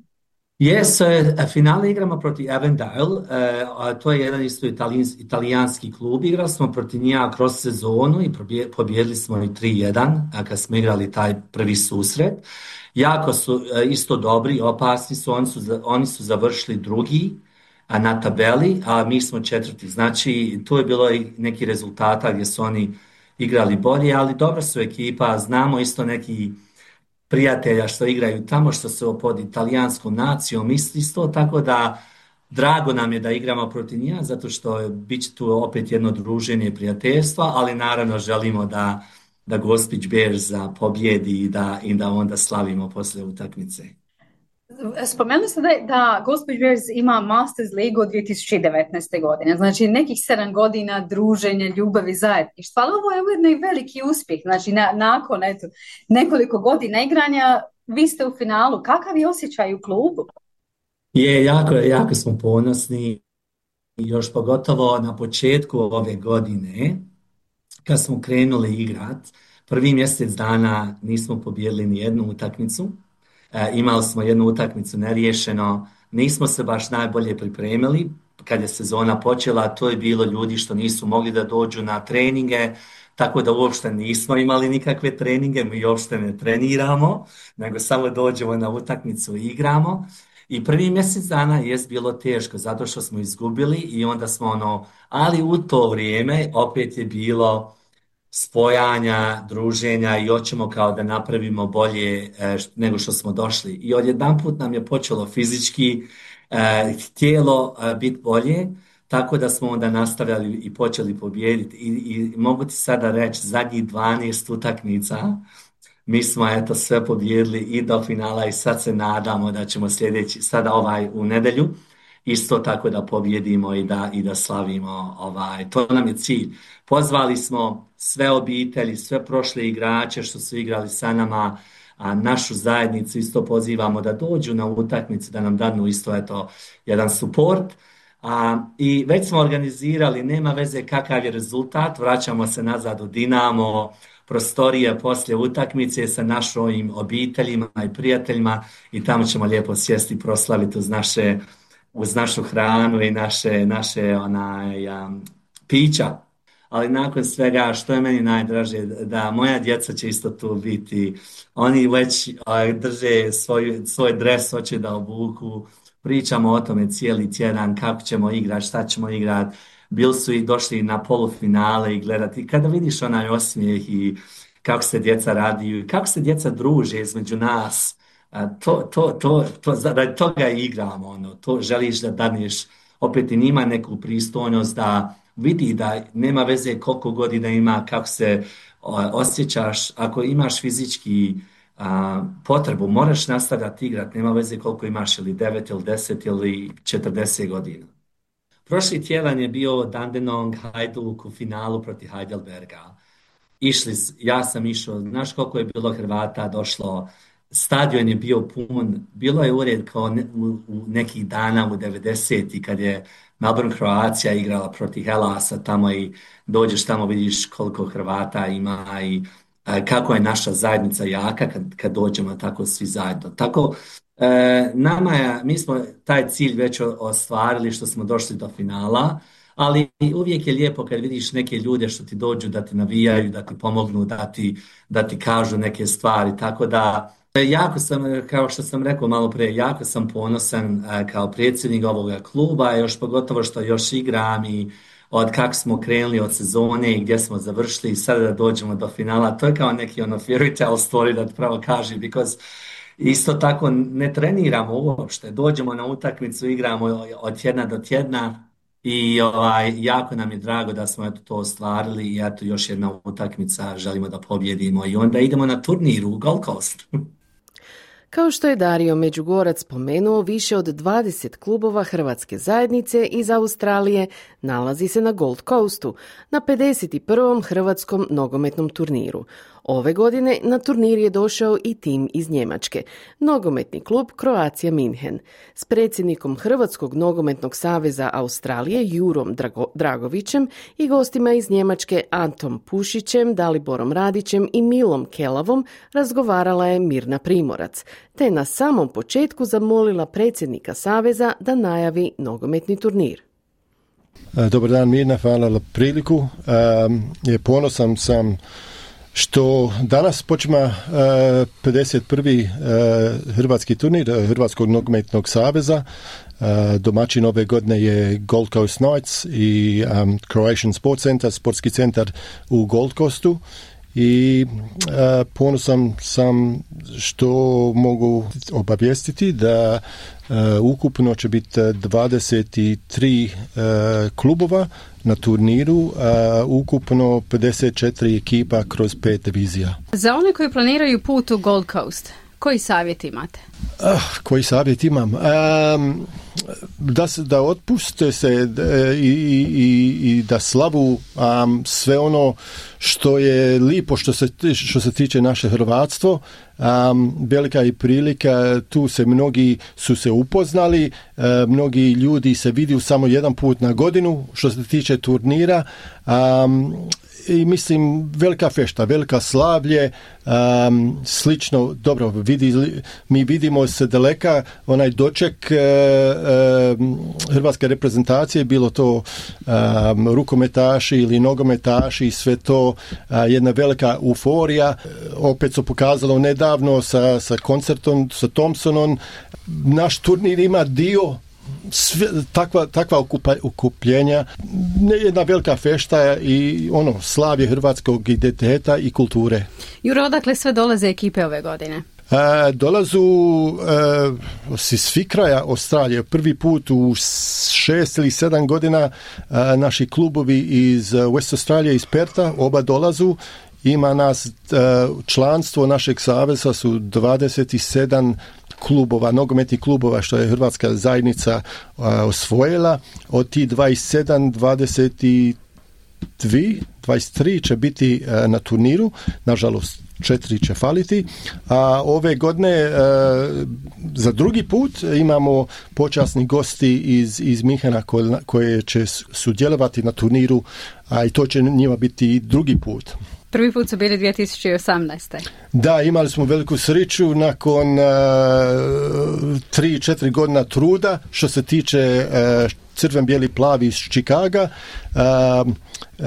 Yes, uh, finale igramo protiv Avondale, uh, to je jedan isto italijans, italijanski klub, igrali smo protiv njega kroz sezonu i pobjedili smo i tri jedan, a kad smo igrali taj prvi susret. Jako su uh, isto dobri, opasni su, oni su, oni su završili drugi a na tabeli, a mi smo četvrti. Znači, tu je bilo i neki rezultata gdje su oni igrali bolje, ali dobra su ekipa, znamo isto neki prijatelja što igraju tamo, što su pod italijanskom nacijom, isto, tako da drago nam je da igramo protiv njih, zato što bit će tu opet jedno druženje prijateljstva, ali naravno želimo da, da Gospić Bears pobjedi i da, i da onda slavimo poslije utakmice. Spomenuli ste da, da Gospić Bears ima Masters ligu od dvije tisuće devetnaeste. godine, znači nekih sedam godina druženja, ljubavi, zajedništva, ali ovo je ujedno i veliki uspjeh, znači na, nakon eto, nekoliko godina igranja vi ste u finalu, kakav je osjećaj u klubu? Je, jako, jako smo ponosni, još pogotovo na početku ove godine, kad smo krenuli igrat, prvi mjesec dana nismo pobijedili ni jednu utakmicu. e, imali smo jednu utakmicu neriješeno, nismo se baš najbolje pripremili. Kad je sezona počela, to je bilo ljudi što nisu mogli da dođu na treninge, tako da uopšte nismo imali nikakve treninge, mi uopšte ne treniramo, nego samo dođemo na utakmicu i igramo. I prvi mjesec dana je bilo teško, zato što smo izgubili i onda smo ono, ali u to vrijeme opet je bilo spojanja, druženja i hoćemo kao da napravimo bolje e, nego što smo došli. I odjedanput nam je počelo fizički e, tijelo e, biti bolje, tako da smo onda nastavljali i počeli pobijediti. I, i mogu ti sada reći, zadnjih dvanaest utakmica mi smo eto sve pobijedili i do finala i sad se nadamo da ćemo sljedeći, sada ovaj u nedjelju, isto tako da pobjedimo i da, i da slavimo. Ovaj. To nam je cilj. Pozvali smo sve obitelji, sve prošle igrače što su igrali sa nama, a našu zajednicu isto pozivamo da dođu na utakmicu, da nam dadnu isto eto jedan suport. A, i već smo organizirali, nema veze kakav je rezultat, vraćamo se nazad u Dinamo, prostorije poslije utakmice sa našim obiteljima i prijateljima i tamo ćemo lijepo sjesti i proslaviti uz naše, uz našu hranu i naše, naše onaj, um, pića. Ali nakon svega, što je meni najdraže, da moja djeca će isto tu biti. Oni već uh, drže svoj, svoj dres, hoće da obuku. Pričamo o tome cijeli tjedan, kako ćemo igrati, šta ćemo igrati. Bili su i došli na polufinale i gledati. Kada vidiš onaj osmijeh i kako se djeca radiju i kako se djeca druže između nas, to, to, to, to, radi toga igramo. Ono. To želiš da daneš opet i njima neku pristojnost, da vidi da nema veze koliko godina ima, kako se osjećaš. Ako imaš fizički a, potrebu, moraš nastavljati igrati, nema veze koliko imaš, ili devet ili deset ili četrdeset godina. Prošli tjedan je bio Dandenong Hajduk u finalu protiv Heidelberga. Išli, ja sam išao, znaš koliko je bilo Hrvata došlo, stadion je bio pun, bilo je ured kao ne, u, u nekih dana u devedesetih kad je Melbourne Croatia igrala protiv Hellasa tamo i dođeš tamo vidiš koliko Hrvata ima i a, kako je naša zajednica jaka kad, kad dođemo tako svi zajedno. Tako E, nama je, mi smo taj cilj već ostvarili što smo došli do finala, ali uvijek je lijepo kad vidiš neke ljude što ti dođu da ti navijaju, da ti pomognu, da ti, da ti kažu neke stvari, tako da jako sam, kao što sam rekao malo prije, jako sam ponosan e, kao predsjednik ovoga kluba, još pogotovo što još igram i od kako smo krenuli od sezone i gdje smo završili i sada da dođemo do finala, to je kao neki ono fairy tale story da ti pravo kaži, because isto tako ne treniramo uopšte, dođemo na utakmicu, igramo od tjedna do tjedna i ovaj, jako nam je drago da smo eto to ostvarili i eto još jedna utakmica, želimo da pobjedimo i onda idemo na turnir u Gold Coast. Kao što je Dario Međugorac spomenuo, više od dvadeset klubova hrvatske zajednice iz Australije nalazi se na Gold Coastu, na pedeset prvom hrvatskom nogometnom turniru. Ove godine na turnir je došao i tim iz Njemačke, nogometni klub Croatia München. S predsjednikom Hrvatskog nogometnog saveza Australije Jurom Drago- Dragovićem i gostima iz Njemačke Antom Pušićem, Daliborom Radićem i Milom Kelavom razgovarala je Mirna Primorac, te na samom početku zamolila predsjednika saveza da najavi nogometni turnir. Dobar dan Mirna, hvala na priliku. Um, je ponosan sam što danas počima uh, pedeset prvi Uh, hrvatski turnir Hrvatskog nogometnog saveza. Uh, domaćin ove godine je Gold Coast Knights i um, Croatian Sports Center, sportski centar u Gold Coastu. I uh, ponosan sam što mogu obavijestiti da uh, ukupno će biti dvadeset tri uh, klubova na turniru, uh, ukupno pedeset četiri ekipa kroz pet divizija. Za one koji planiraju put u Gold Coast, koji savjet imate? Uh, koji savjet imam? Um, da, se, da otpuste se i, i, i da slavu um, sve ono što je lipo što se, što se tiče naše hrvatstvo. Um, velika je prilika, tu se mnogi su se upoznali, uh, mnogi ljudi se vidio samo jedan put na godinu što se tiče turnira. Um, I mislim, velika fešta, velika slavlje, um, slično, dobro, vidi, mi vidimo se daleka, onaj doček uh, uh, hrvatske reprezentacije, bilo to um, rukometaši ili nogometaši, sve to, uh, jedna velika euforija. Opet su pokazalo nedavno sa, sa koncertom, sa Thompsonom, naš turnir ima dio Sve, takva, takva okupa, okupljenja, jedna velika fešta i ono, slavlje hrvatskog identiteta i kulture. Juro, odakle sve dolaze ekipe ove godine? E, dolazu e, si svi kraja Australije. Prvi put u šest ili sedam godina e, naši klubovi iz West Australije, iz Perta, oba dolazu. Ima nas, e, članstvo našeg saveza su dvadeset sedam klubova, nogometnih klubova što je hrvatska zajednica a, osvojila. Od tih dvadeset sedam, dvadeset dva, dvadeset tri će biti a, na turniru, nažalost četiri će faliti, a ove godine a, za drugi put imamo počasni gosti iz, iz Minhena koje, koje će sudjelovati na turniru, a i to će njima biti drugi put. Prvi put su bili dvije tisuće osamnaeste. Da, imali smo veliku sreću nakon uh, tri, četiri godina truda što se tiče uh, crven, bijeli, plavi iz Čikaga. Uh, uh,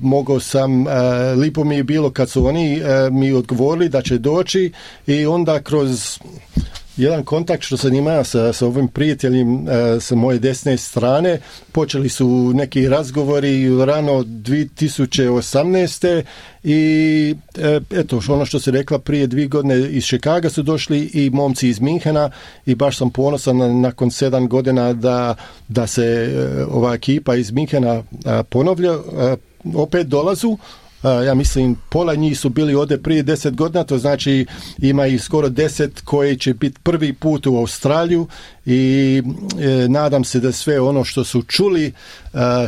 mogao sam, uh, lipo mi je bilo kad su oni uh, mi odgovorili da će doći i onda kroz jedan kontakt što sam imao sa, sa ovim prijateljem e, sa moje desne strane, počeli su neki razgovori rano dvije tisuće osamnaeste i e, eto, ono što se rekla prije dvije godine iz Chicaga su došli i momci iz Minhena i baš sam ponosan na, nakon sedam godina da, da se e, ova ekipa iz Minhena e, ponovlja, e, opet dolazu. Ja mislim, pola njih su bili ovdje prije deset godina, to znači ima i skoro deset koji će biti prvi put u Australiju i e, nadam se da sve ono što su čuli, e,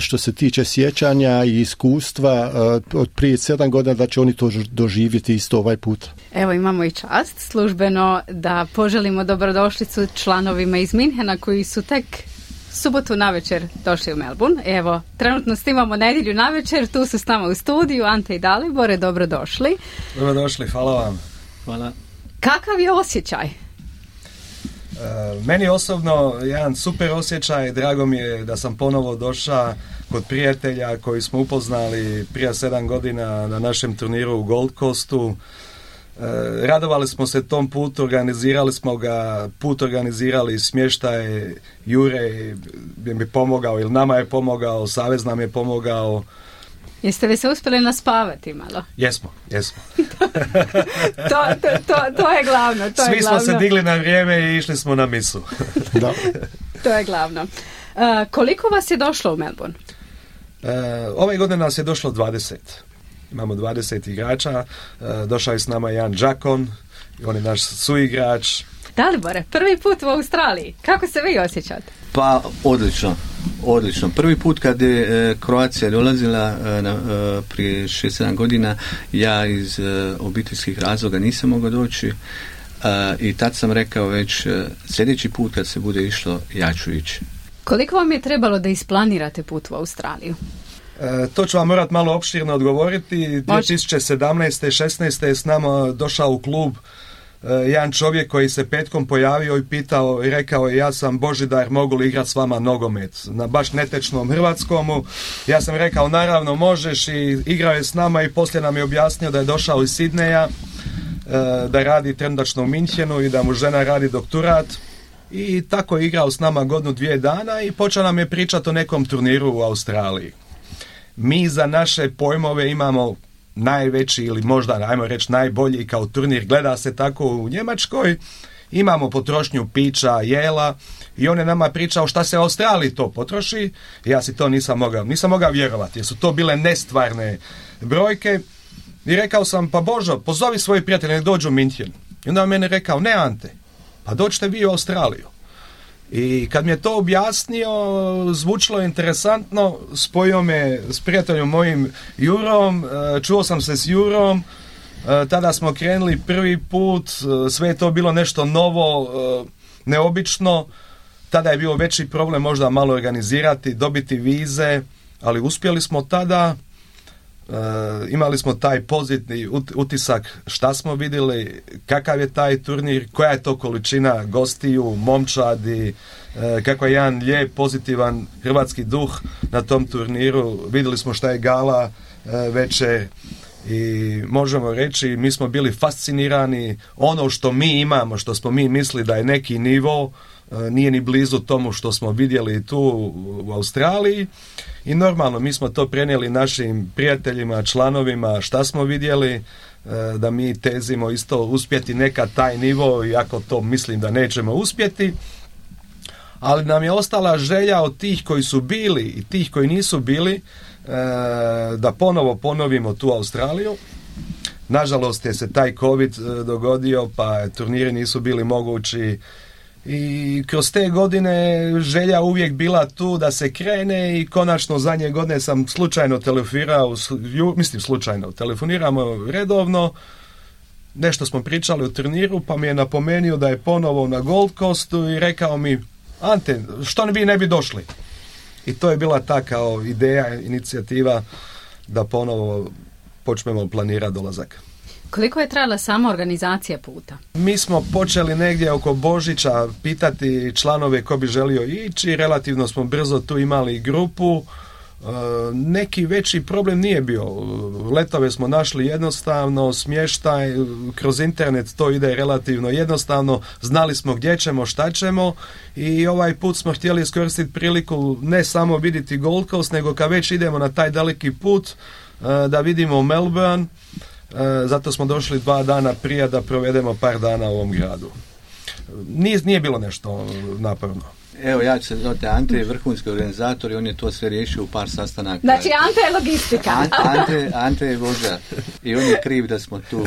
što se tiče sjećanja i iskustva e, od prije sedam godina, da će oni to doživjeti isto ovaj put. Evo, imamo i čast službeno da poželimo dobrodošlicu članovima iz Minhena koji su tek subotu navečer došli u Melbourne. Evo, trenutno snimamo nedjelju navečer, tu su s nama u studiju Ante i Dalibore, dobrodošli. Dobrodošli, hvala vam. Hvala. Kakav je osjećaj? E, meni osobno jedan super osjećaj, drago mi je da sam ponovo došao kod prijatelja koji smo upoznali prije sedam godina na našem turniru u Gold Coastu. E, radovali smo se tom putu, organizirali smo ga, put organizirali smještaj, Jure bi mi pomogao ili nama je pomogao, Savez nam je pomogao. Jeste li se uspjeli naspavati malo? Jesmo, jesmo. to, to, to, to je glavno. To Svi je smo glavno. se digli na vrijeme i išli smo na misu. Da. To je glavno. Uh, koliko vas je došlo u Melbourne? E, ove godine nas je došlo dvadeset. Imamo dvadeset igrača, došao je s nama Jan Đakon, on je naš suigrač. Dalibore, prvi put u Australiji, kako se vi osjećate? Pa odlično, odlično. Prvi put kad je e, Kroacija dolazila e, na, e, prije šest sedam godina, ja iz e, obiteljskih razloga nisam mogao doći e, i tad sam rekao već e, sljedeći put kad se bude išlo, ja ću ići. Koliko vam je trebalo da isplanirate put u Australiju? E, to ću vam morat malo opširno odgovoriti. dvije tisuće sedamnaeste. šesnaeste. je s nama došao u klub e, jedan čovjek koji se petkom pojavio i pitao i rekao, ja sam Božidar, mogu li igrati s vama nogomet na baš netečnom hrvatskomu. Ja sam rekao, naravno možeš, i igrao je s nama i poslije nam je objasnio da je došao iz Sidneja, e, da radi trenutačno u Minhenu i da mu žena radi doktorat. I tako je igrao s nama godinu dvije dana i počeo nam je pričati o nekom turniru u Australiji. Mi za naše pojmove imamo najveći ili možda, ajmo reći, najbolji kao turnir, gleda se tako u Njemačkoj, imamo potrošnju pića, jela i on je nama pričao šta se u Australiji to potroši. Ja si to nisam mogao, nisam mogao vjerovati jer su to bile nestvarne brojke i rekao sam, pa Božo, pozovi svoji prijatelji nek dođu u Minhen. I onda on meni rekao, ne Ante, pa dođite vi u Australiju. I kad mi je to objasnio, zvučilo interesantno, spojio me s prijateljom mojim Jurom, čuo sam se s Jurom, tada smo krenuli prvi put, sve je to bilo nešto novo, neobično, tada je bio veći problem možda malo organizirati, dobiti vize, ali uspjeli smo tada. Uh, imali smo taj pozitivni utisak šta smo vidjeli, kakav je taj turnir, koja je to količina gostiju, momčadi, uh, kako je jedan lijep, pozitivan hrvatski duh na tom turniru. Vidjeli smo šta je gala uh, večer i možemo reći mi smo bili fascinirani. Ono što mi imamo, što smo mi mislili da je neki nivo, nije ni blizu tomu što smo vidjeli tu u Australiji i normalno mi smo to prenijeli našim prijateljima, članovima, šta smo vidjeli, da mi tezimo isto uspjeti nekad taj nivo, iako to mislim da nećemo uspjeti, ali nam je ostala želja od tih koji su bili i tih koji nisu bili da ponovo ponovimo tu Australiju. Nažalost je se taj COVID dogodio pa turniri nisu bili mogući. I kroz te godine želja uvijek bila tu da se krene i konačno zadnje godine sam slučajno telefonirao, mislim slučajno, telefoniramo redovno, nešto smo pričali o turniru pa mi je napomenuo da je ponovo na Gold Coastu i rekao mi, Ante, što vi ne bi došli? I to je bila ta kao ideja, inicijativa da ponovo počnemo planirati dolazak. Koliko je trajala sama organizacija puta? Mi smo počeli negdje oko Božića pitati članove ko bi želio ići, relativno smo brzo tu imali grupu, e, neki veći problem nije bio. Letove smo našli jednostavno, smještaj, kroz internet to ide relativno jednostavno, znali smo gdje ćemo, šta ćemo i ovaj put smo htjeli iskoristiti priliku ne samo vidjeti Gold Coast, nego kad već idemo na taj daleki put, e, da vidimo Melbourne. E, zato smo došli dva dana prije da provedemo par dana u ovom gradu. Nije, nije bilo nešto naporno. Evo, ja ću se zvati Ante, je vrhunski organizator i on je to sve riješio u par sastanaka. Znači, Ante je logistika. Ante, Ante, Ante je vođa i on je kriv da smo tu.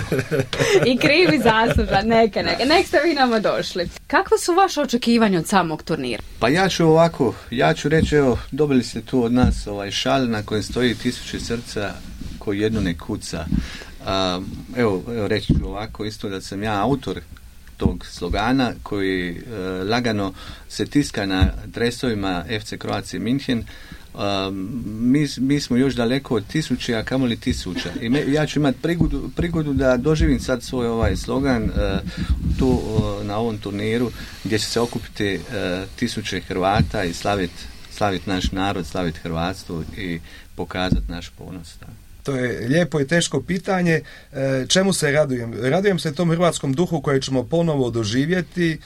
I kriv i zaslužan, neke, neke. Nek ste vi nama došli. Kakva su vaše očekivanja od samog turnira? Pa ja ću ovako, ja ću reći, evo, dobili ste tu od nas ovaj šal na kojem stoji tisuće srca koji jedno ne kuca. Uh, evo, evo reći ću ovako isto da sam ja autor tog slogana koji uh, lagano se tiska na dresovima F C Croatia München. Uh, mi, mi smo još daleko od tisuće, a kamoli tisuća. I me, ja ću imati prigodu, prigodu da doživim sad svoj ovaj slogan uh, tu uh, na ovom turniru gdje će se okupiti uh, tisuće Hrvata i slaviti slavit naš narod, slaviti hrvatstvo i pokazati naš ponos. Da. To je lijepo i teško pitanje. Čemu se radujem? Radujem se tom hrvatskom duhu koji ćemo ponovo doživjeti.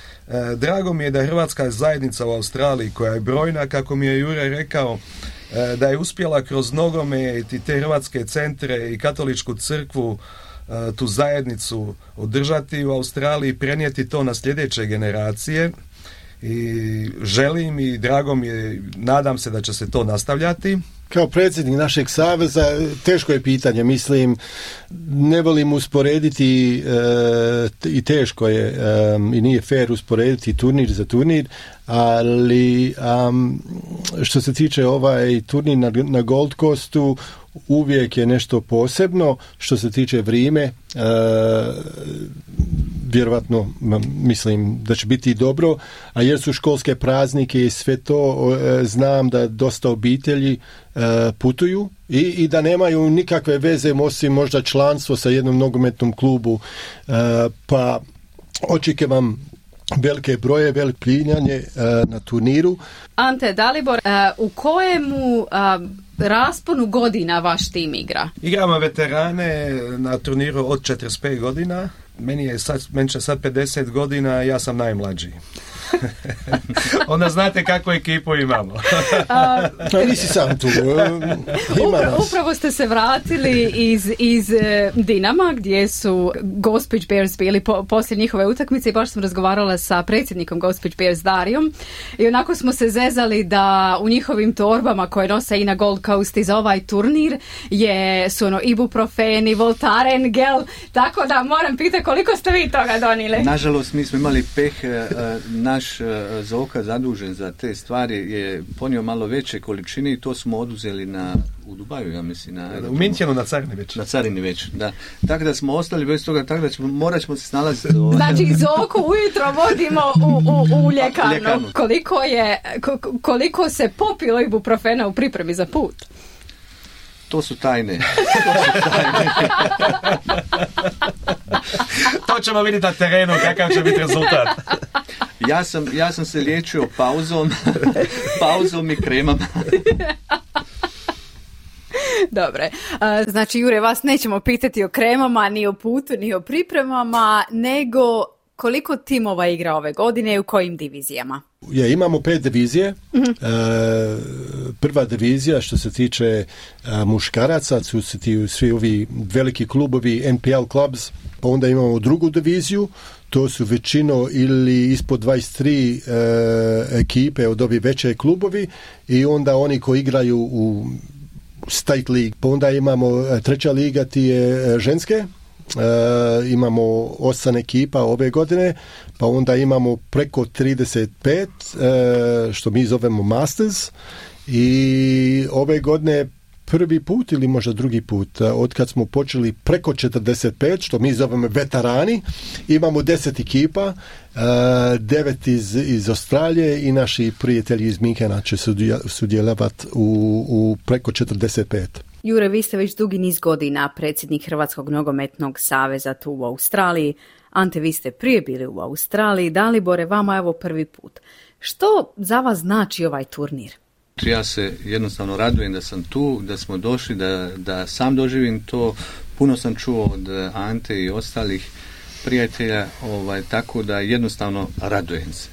Drago mi je da je hrvatska zajednica u Australiji, koja je brojna, kako mi je Jure rekao, da je uspjela kroz nogomet i te hrvatske centre i katoličku crkvu tu zajednicu održati u Australiji, prenijeti to na sljedeće generacije. I želim i drago mi je, nadam se da će se to nastavljati. Kao predsjednik našeg saveza, teško je pitanje, mislim, ne volim usporediti e, i teško je e, i nije fair usporediti turnir za turnir, ali um, što se tiče ovaj turnir na, na Gold Coastu, uvijek je nešto posebno. Što se tiče vrijeme, e, vjerovatno mislim da će biti dobro, a jer su školske praznike i sve to, e, znam da dosta obitelji e, putuju i, i da nemaju nikakve veze osim možda članstvo sa jednom nogometnom klubu, e, pa očekujem velike broje, veliko plinjanje uh, na turniru. Ante, Dalibor, uh, u kojemu uh, rasponu godina vaš tim igra? Igramo veterane na turniru od četrdeset pet godina. Meni je sad, meni će sad pedeset godina, ja sam najmlađi. Onda znate kakvu ekipu imamo. A nisi sam tu. Upra, upravo ste se vratili iz, iz Dinama, gdje su Gospić Bears bili po, poslije njihove utakmice i baš sam razgovarala sa predsjednikom Gospić Bears Darijom i onako smo se zezali da u njihovim torbama koje nose i na Gold Coast i za ovaj turnir je su ono ibuprofeni, Voltaren gel, tako da moram pitati koliko ste vi toga donijeli? Nažalost, mi smo imali peh, na naš uh, Zoka zadužen za te stvari je ponio malo veće količine i to smo oduzeli na u Dubaju, ja mislim. Na, u Minchenu na carini već. Na carini već, da. Tako da smo ostali bez toga, tako da ćemo, morat ćemo se snalaziti. Znači, Zoku ujutro vodimo u, u, u ljekarnu. ljekarnu. Koliko, je, koliko se popilo ibuprofena u pripremi za put? To su tajne. To su tajne. To ćemo vidjeti na terenu, kakav će biti rezultat. Ja sam, ja sam se liječio pauzom, pauzom i kremama. Dobre, znači Jure, vas nećemo pitati o kremama, ni o putu, ni o pripremama, nego koliko timova igra ove godine i u kojim divizijama? Ja, imamo pet divizije. Mm-hmm. E, prva divizija što se tiče a, muškaraca su ti svi ovi veliki klubovi N P L clubs, pa onda imamo drugu diviziju, to su većino ili ispod dvadeset tri e, ekipe od ovi veće klubovi i onda oni koji igraju u State League. Pa onda imamo treća liga, ti je ženske. E, imamo osam ekipa ove godine, pa onda imamo preko trideset pet, e, što mi zovemo Masters, i ove godine prvi put ili možda drugi put, od kad smo počeli preko četrdeset pet, što mi zovemo veterani, imamo deset ekipa, devet iz, iz Australije i naši prijatelji iz Minchena će sudjelovati u, u preko četrdeset pet. Jure, vi ste već dugi niz godina predsjednik Hrvatskog nogometnog saveza tu u Australiji. Ante, vi ste prije bili u Australiji. Dalibore, vama evo prvi put. Što za vas znači ovaj turnir? Ja se jednostavno radujem da sam tu, da smo došli, da, da sam doživim to. Puno sam čuo od Ante i ostalih prijatelja, ovaj, tako da jednostavno radujem se.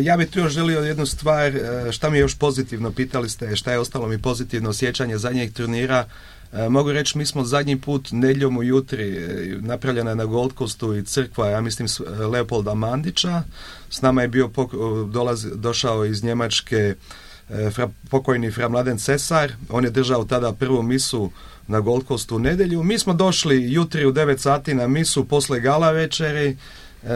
Ja bih tu još želio jednu stvar, šta mi je još pozitivno, pitali ste šta je ostalo mi pozitivno sjećanje zadnjeg turnira. Mogu reći, mi smo zadnji put nedjeljom ujutri, napravljena je na Gold Coastu i crkva, ja mislim, Leopolda Mandića. S nama je bio pok- dolaz, došao iz Njemačke fra, pokojni fra Mladen Cesar. On je držao tada prvu misu na Gold Coastu u nedjelju. Mi smo došli jutri u devet sati na misu posle gala večeri.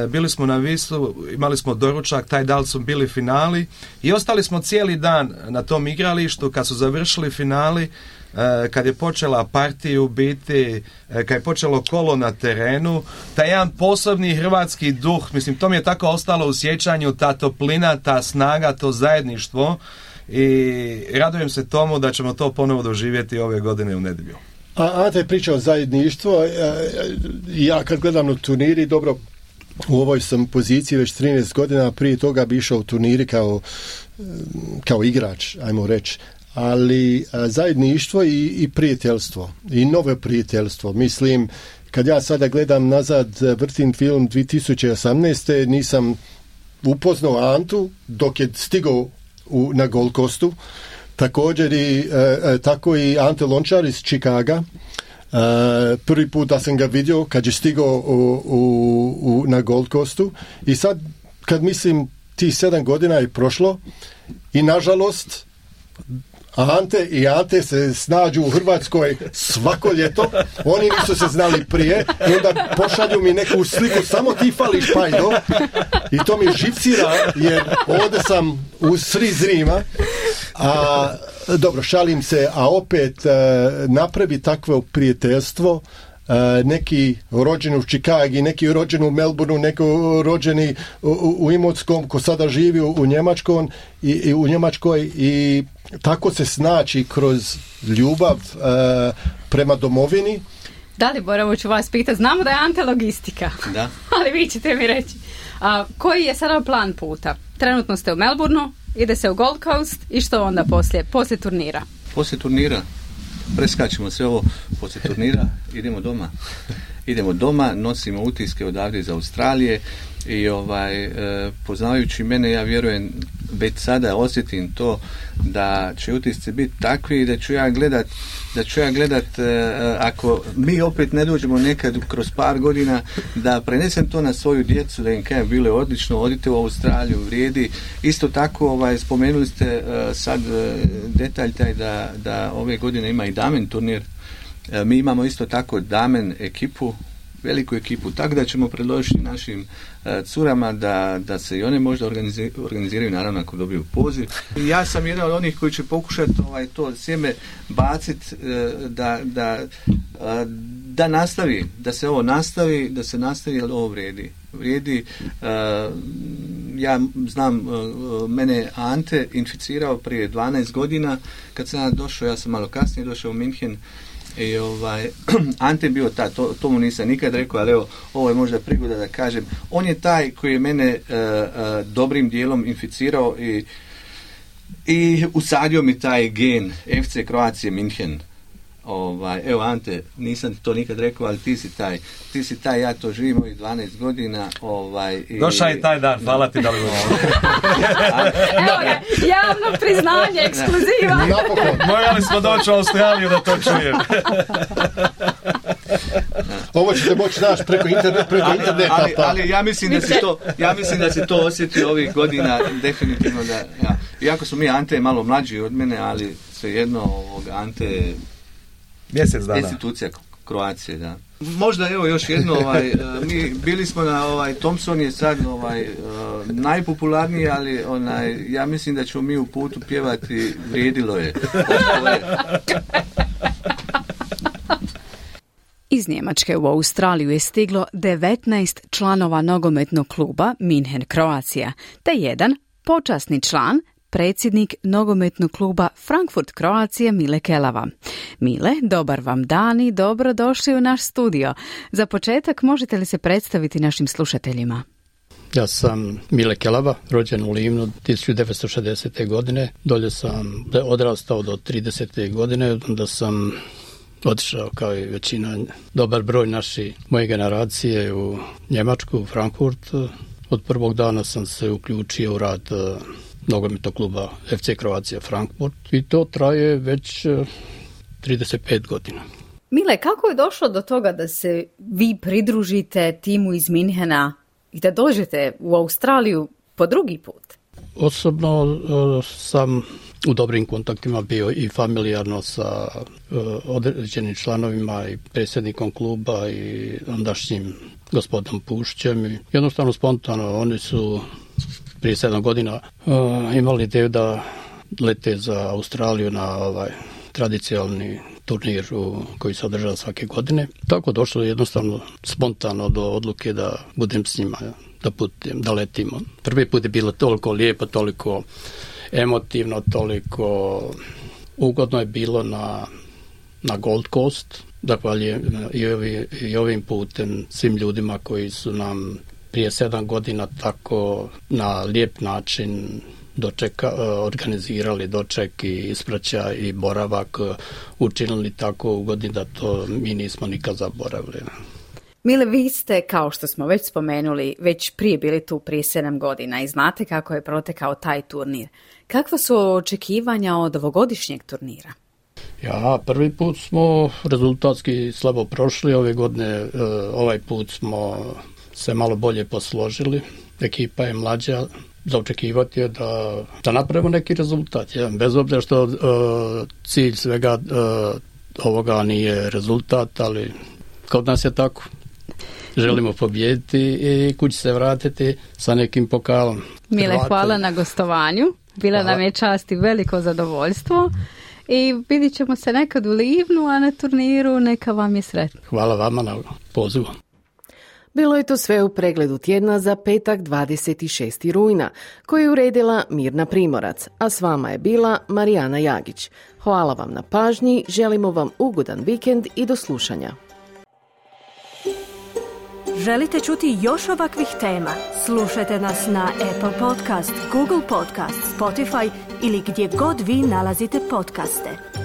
Bili smo na Visu, imali smo doručak, taj dan su bili finali i ostali smo cijeli dan na tom igralištu. Kad su završili finali, kad je počela partiju biti, kad je počelo kolo na terenu, taj jedan posebni hrvatski duh, mislim, to mi je tako ostalo u sjećanju, ta toplina, ta snaga, to zajedništvo, i radujem se tomu da ćemo to ponovo doživjeti ove godine u nedjelju. A Ante je pričao o zajedništvu. Ja kad gledam na turniri, dobro, u ovoj sam poziciji već trinaest godina, prije toga bi išao u turniri kao, kao igrač, ajmo reći, ali zajedništvo i, i prijateljstvo, i novo prijateljstvo. Mislim, kad ja sada gledam nazad, vrtim film dvije tisuće osamnaeste. nisam upoznao Antu dok je stigao u, na Gold Coastu, također i, e, tako i Ante Lončar iz Chicaga. Uh, prvi put da sam ga vidio kad je stigao u, u, u, na Gold Coastu, i sad kad mislim ti sedam godina je prošlo i nažalost Ante i Ante se snađu u Hrvatskoj svako ljeto, oni nisu se znali prije i onda pošalju mi neku sliku, samo ti fališ Pajdo, i to mi živcira jer ovdje sam u sri Zrima, a dobro, šalim se, a opet uh, napravi takvo prijateljstvo, uh, neki rođeni u Čikagi, neki rođeni u Melbourneu, neki rođeni u, u, u Imotskom, ko sada živi u, u Njemačkom i, i u Njemačkoj, i tako se snaći kroz ljubav uh, prema domovini. Dalibor, evo ću vas pitati, znamo da je Ante logistika, da. Ali vi ćete mi reći, a, koji je sada plan puta? Trenutno ste u Melbourneu, ide se u Gold Coast i što onda poslije, poslije turnira? Poslije turnira preskačemo sve ovo, poslije turnira idemo doma. Idemo doma, nosimo utiske odavde iz Australije i ovaj, e, poznavajući mene, ja vjerujem, već sada osjetim to da će utisci biti takvi da ću ja gledat, da ću ja gledat e, ako mi opet ne dođemo nekad kroz par godina, da prenesem to na svoju djecu, da im kažem bilo je odlično, odite u Australiju, vrijedi. Isto tako, ovaj, spomenuli ste e, sad e, detalj taj da, da ove godine ima i damen turnir. E, mi imamo isto tako damen ekipu veliku ekipu, tako da ćemo predložiti našim uh, curama da, da se i one možda organizi, organiziraju, naravno ako dobiju poziv. Ja sam jedan od onih koji će pokušati ovaj, to sjeme baciti uh, da, da, uh, da nastavi, da se ovo nastavi, da se nastavi, jer ovo vrijedi. Vrijedi, uh, ja znam, uh, mene Ante inficirao prije dvanaest godina, kad sam ja došao, ja sam malo kasnije došao u Minhen, i ovaj, Ante je bio taj, to, to mu nisam nikad rekao, ali evo, ovo je možda prigoda da kažem, on je taj koji je mene uh, uh, dobrim dijelom inficirao i, i usadio mi taj gen F C Croatia Minhen. Ovaj, evo Ante, nisam ti to nikad rekao, ali ti si taj, ti si taj, ja to živim ovih dvanaest godina. Ovaj, i... Došao je taj dan, hvala ti da li Evo ga, javno priznanje, ekskluziva. Napokon. Morali smo doći u Australiju da to čujem. Ovo ćete moći naći preko interneta, preko ali, interneta. Ali, ali ja mislim da si to, ja mislim da si to osjetio ovih godina, definitivno da, ja. Iako su mi, Ante je malo mlađi od mene, ali svejedno ovog Ante mjesec dana. Institucija Kroacije, da. Možda evo još jedno, ovaj, mi bili smo na ovaj Thompson je sad ovaj najpopularniji, ali onaj ja mislim da ćemo mi u putu pjevati vrijedilo je. Iz Njemačke u Australiju je stiglo devetnaest članova nogometnog kluba Minhen Croatia, te jedan počasni član, predsjednik nogometnog kluba Frankfurt Croatia Mile Kelava. Mile, dobar vam dan i dobro došli u naš studio. Za početak možete li se predstaviti našim slušateljima? Ja sam Mile Kelava, rođen u Livnu tisuću devetsto šezdesete. godine. Dolje sam odrastao do tridesete. godine, onda sam otišao kao i većina, dobar broj naši moje generacije u Njemačku, u Frankfurt. Od prvog dana sam se uključio u rad nogometnog kluba F C Croatia Frankfurt i to traje već trideset pet godina. Mile, kako je došlo do toga da se vi pridružite timu iz Minhena i da dođete u Australiju po drugi put? Osobno uh, sam u dobrim kontaktima bio i familijarno sa uh, određenim članovima i predsjednikom kluba i ondašnjim gospodom Pušćem. I jednostavno spontano oni su prije sedam godina uh, imali ideju da lete za Australiju na ovaj tradicionalni turnir u, koji se održava svake godine. Tako došlo jednostavno spontano do odluke da budem s njima, da putem, da letimo. Prvi put je bilo toliko lijepo, toliko emotivno, toliko ugodno je bilo na, na Gold Coast. Zahvaljujem i, ovi, i ovim putem svim ljudima koji su nam prije sedam godina tako na lijep način dočeka, organizirali doček i ispraćaj i boravak, učinili tako ugodni da to mi nismo nikad zaboravili. Mile, vi ste, kao što smo već spomenuli, već prije bili tu prije sedam godina i znate kako je protekao taj turnir. Kakva su očekivanja od ovogodišnjeg turnira? Ja, prvi put smo rezultatski slabo prošli, ove godine ovaj put smo se malo bolje posložili, ekipa je mlađa, za očekivati je da, da napravimo neki rezultat. Ja, bez obzira što uh, cilj svega uh, ovoga nije rezultat, ali kod nas je tako. Želimo pobijediti i kući se vratiti sa nekim pokalom. Mile, Hrvate. Hvala na gostovanju. Bila Hvala. Nam je čast i veliko zadovoljstvo. I vidit ćemo se nekad u Livnu, a na turniru neka vam je sretno. Hvala vama na pozivu. Bilo je to sve u pregledu tjedna za petak dvadeset šestog rujna, koju je uredila Mirna Primorac, a s vama je bila Marijana Jagić. Hvala vam na pažnji, želimo vam ugodan vikend i do slušanja. Želite čuti još ovakvih tema? Slušajte nas na Apple Podcast, Google Podcast, Spotify ili gdje god vi nalazite podcaste.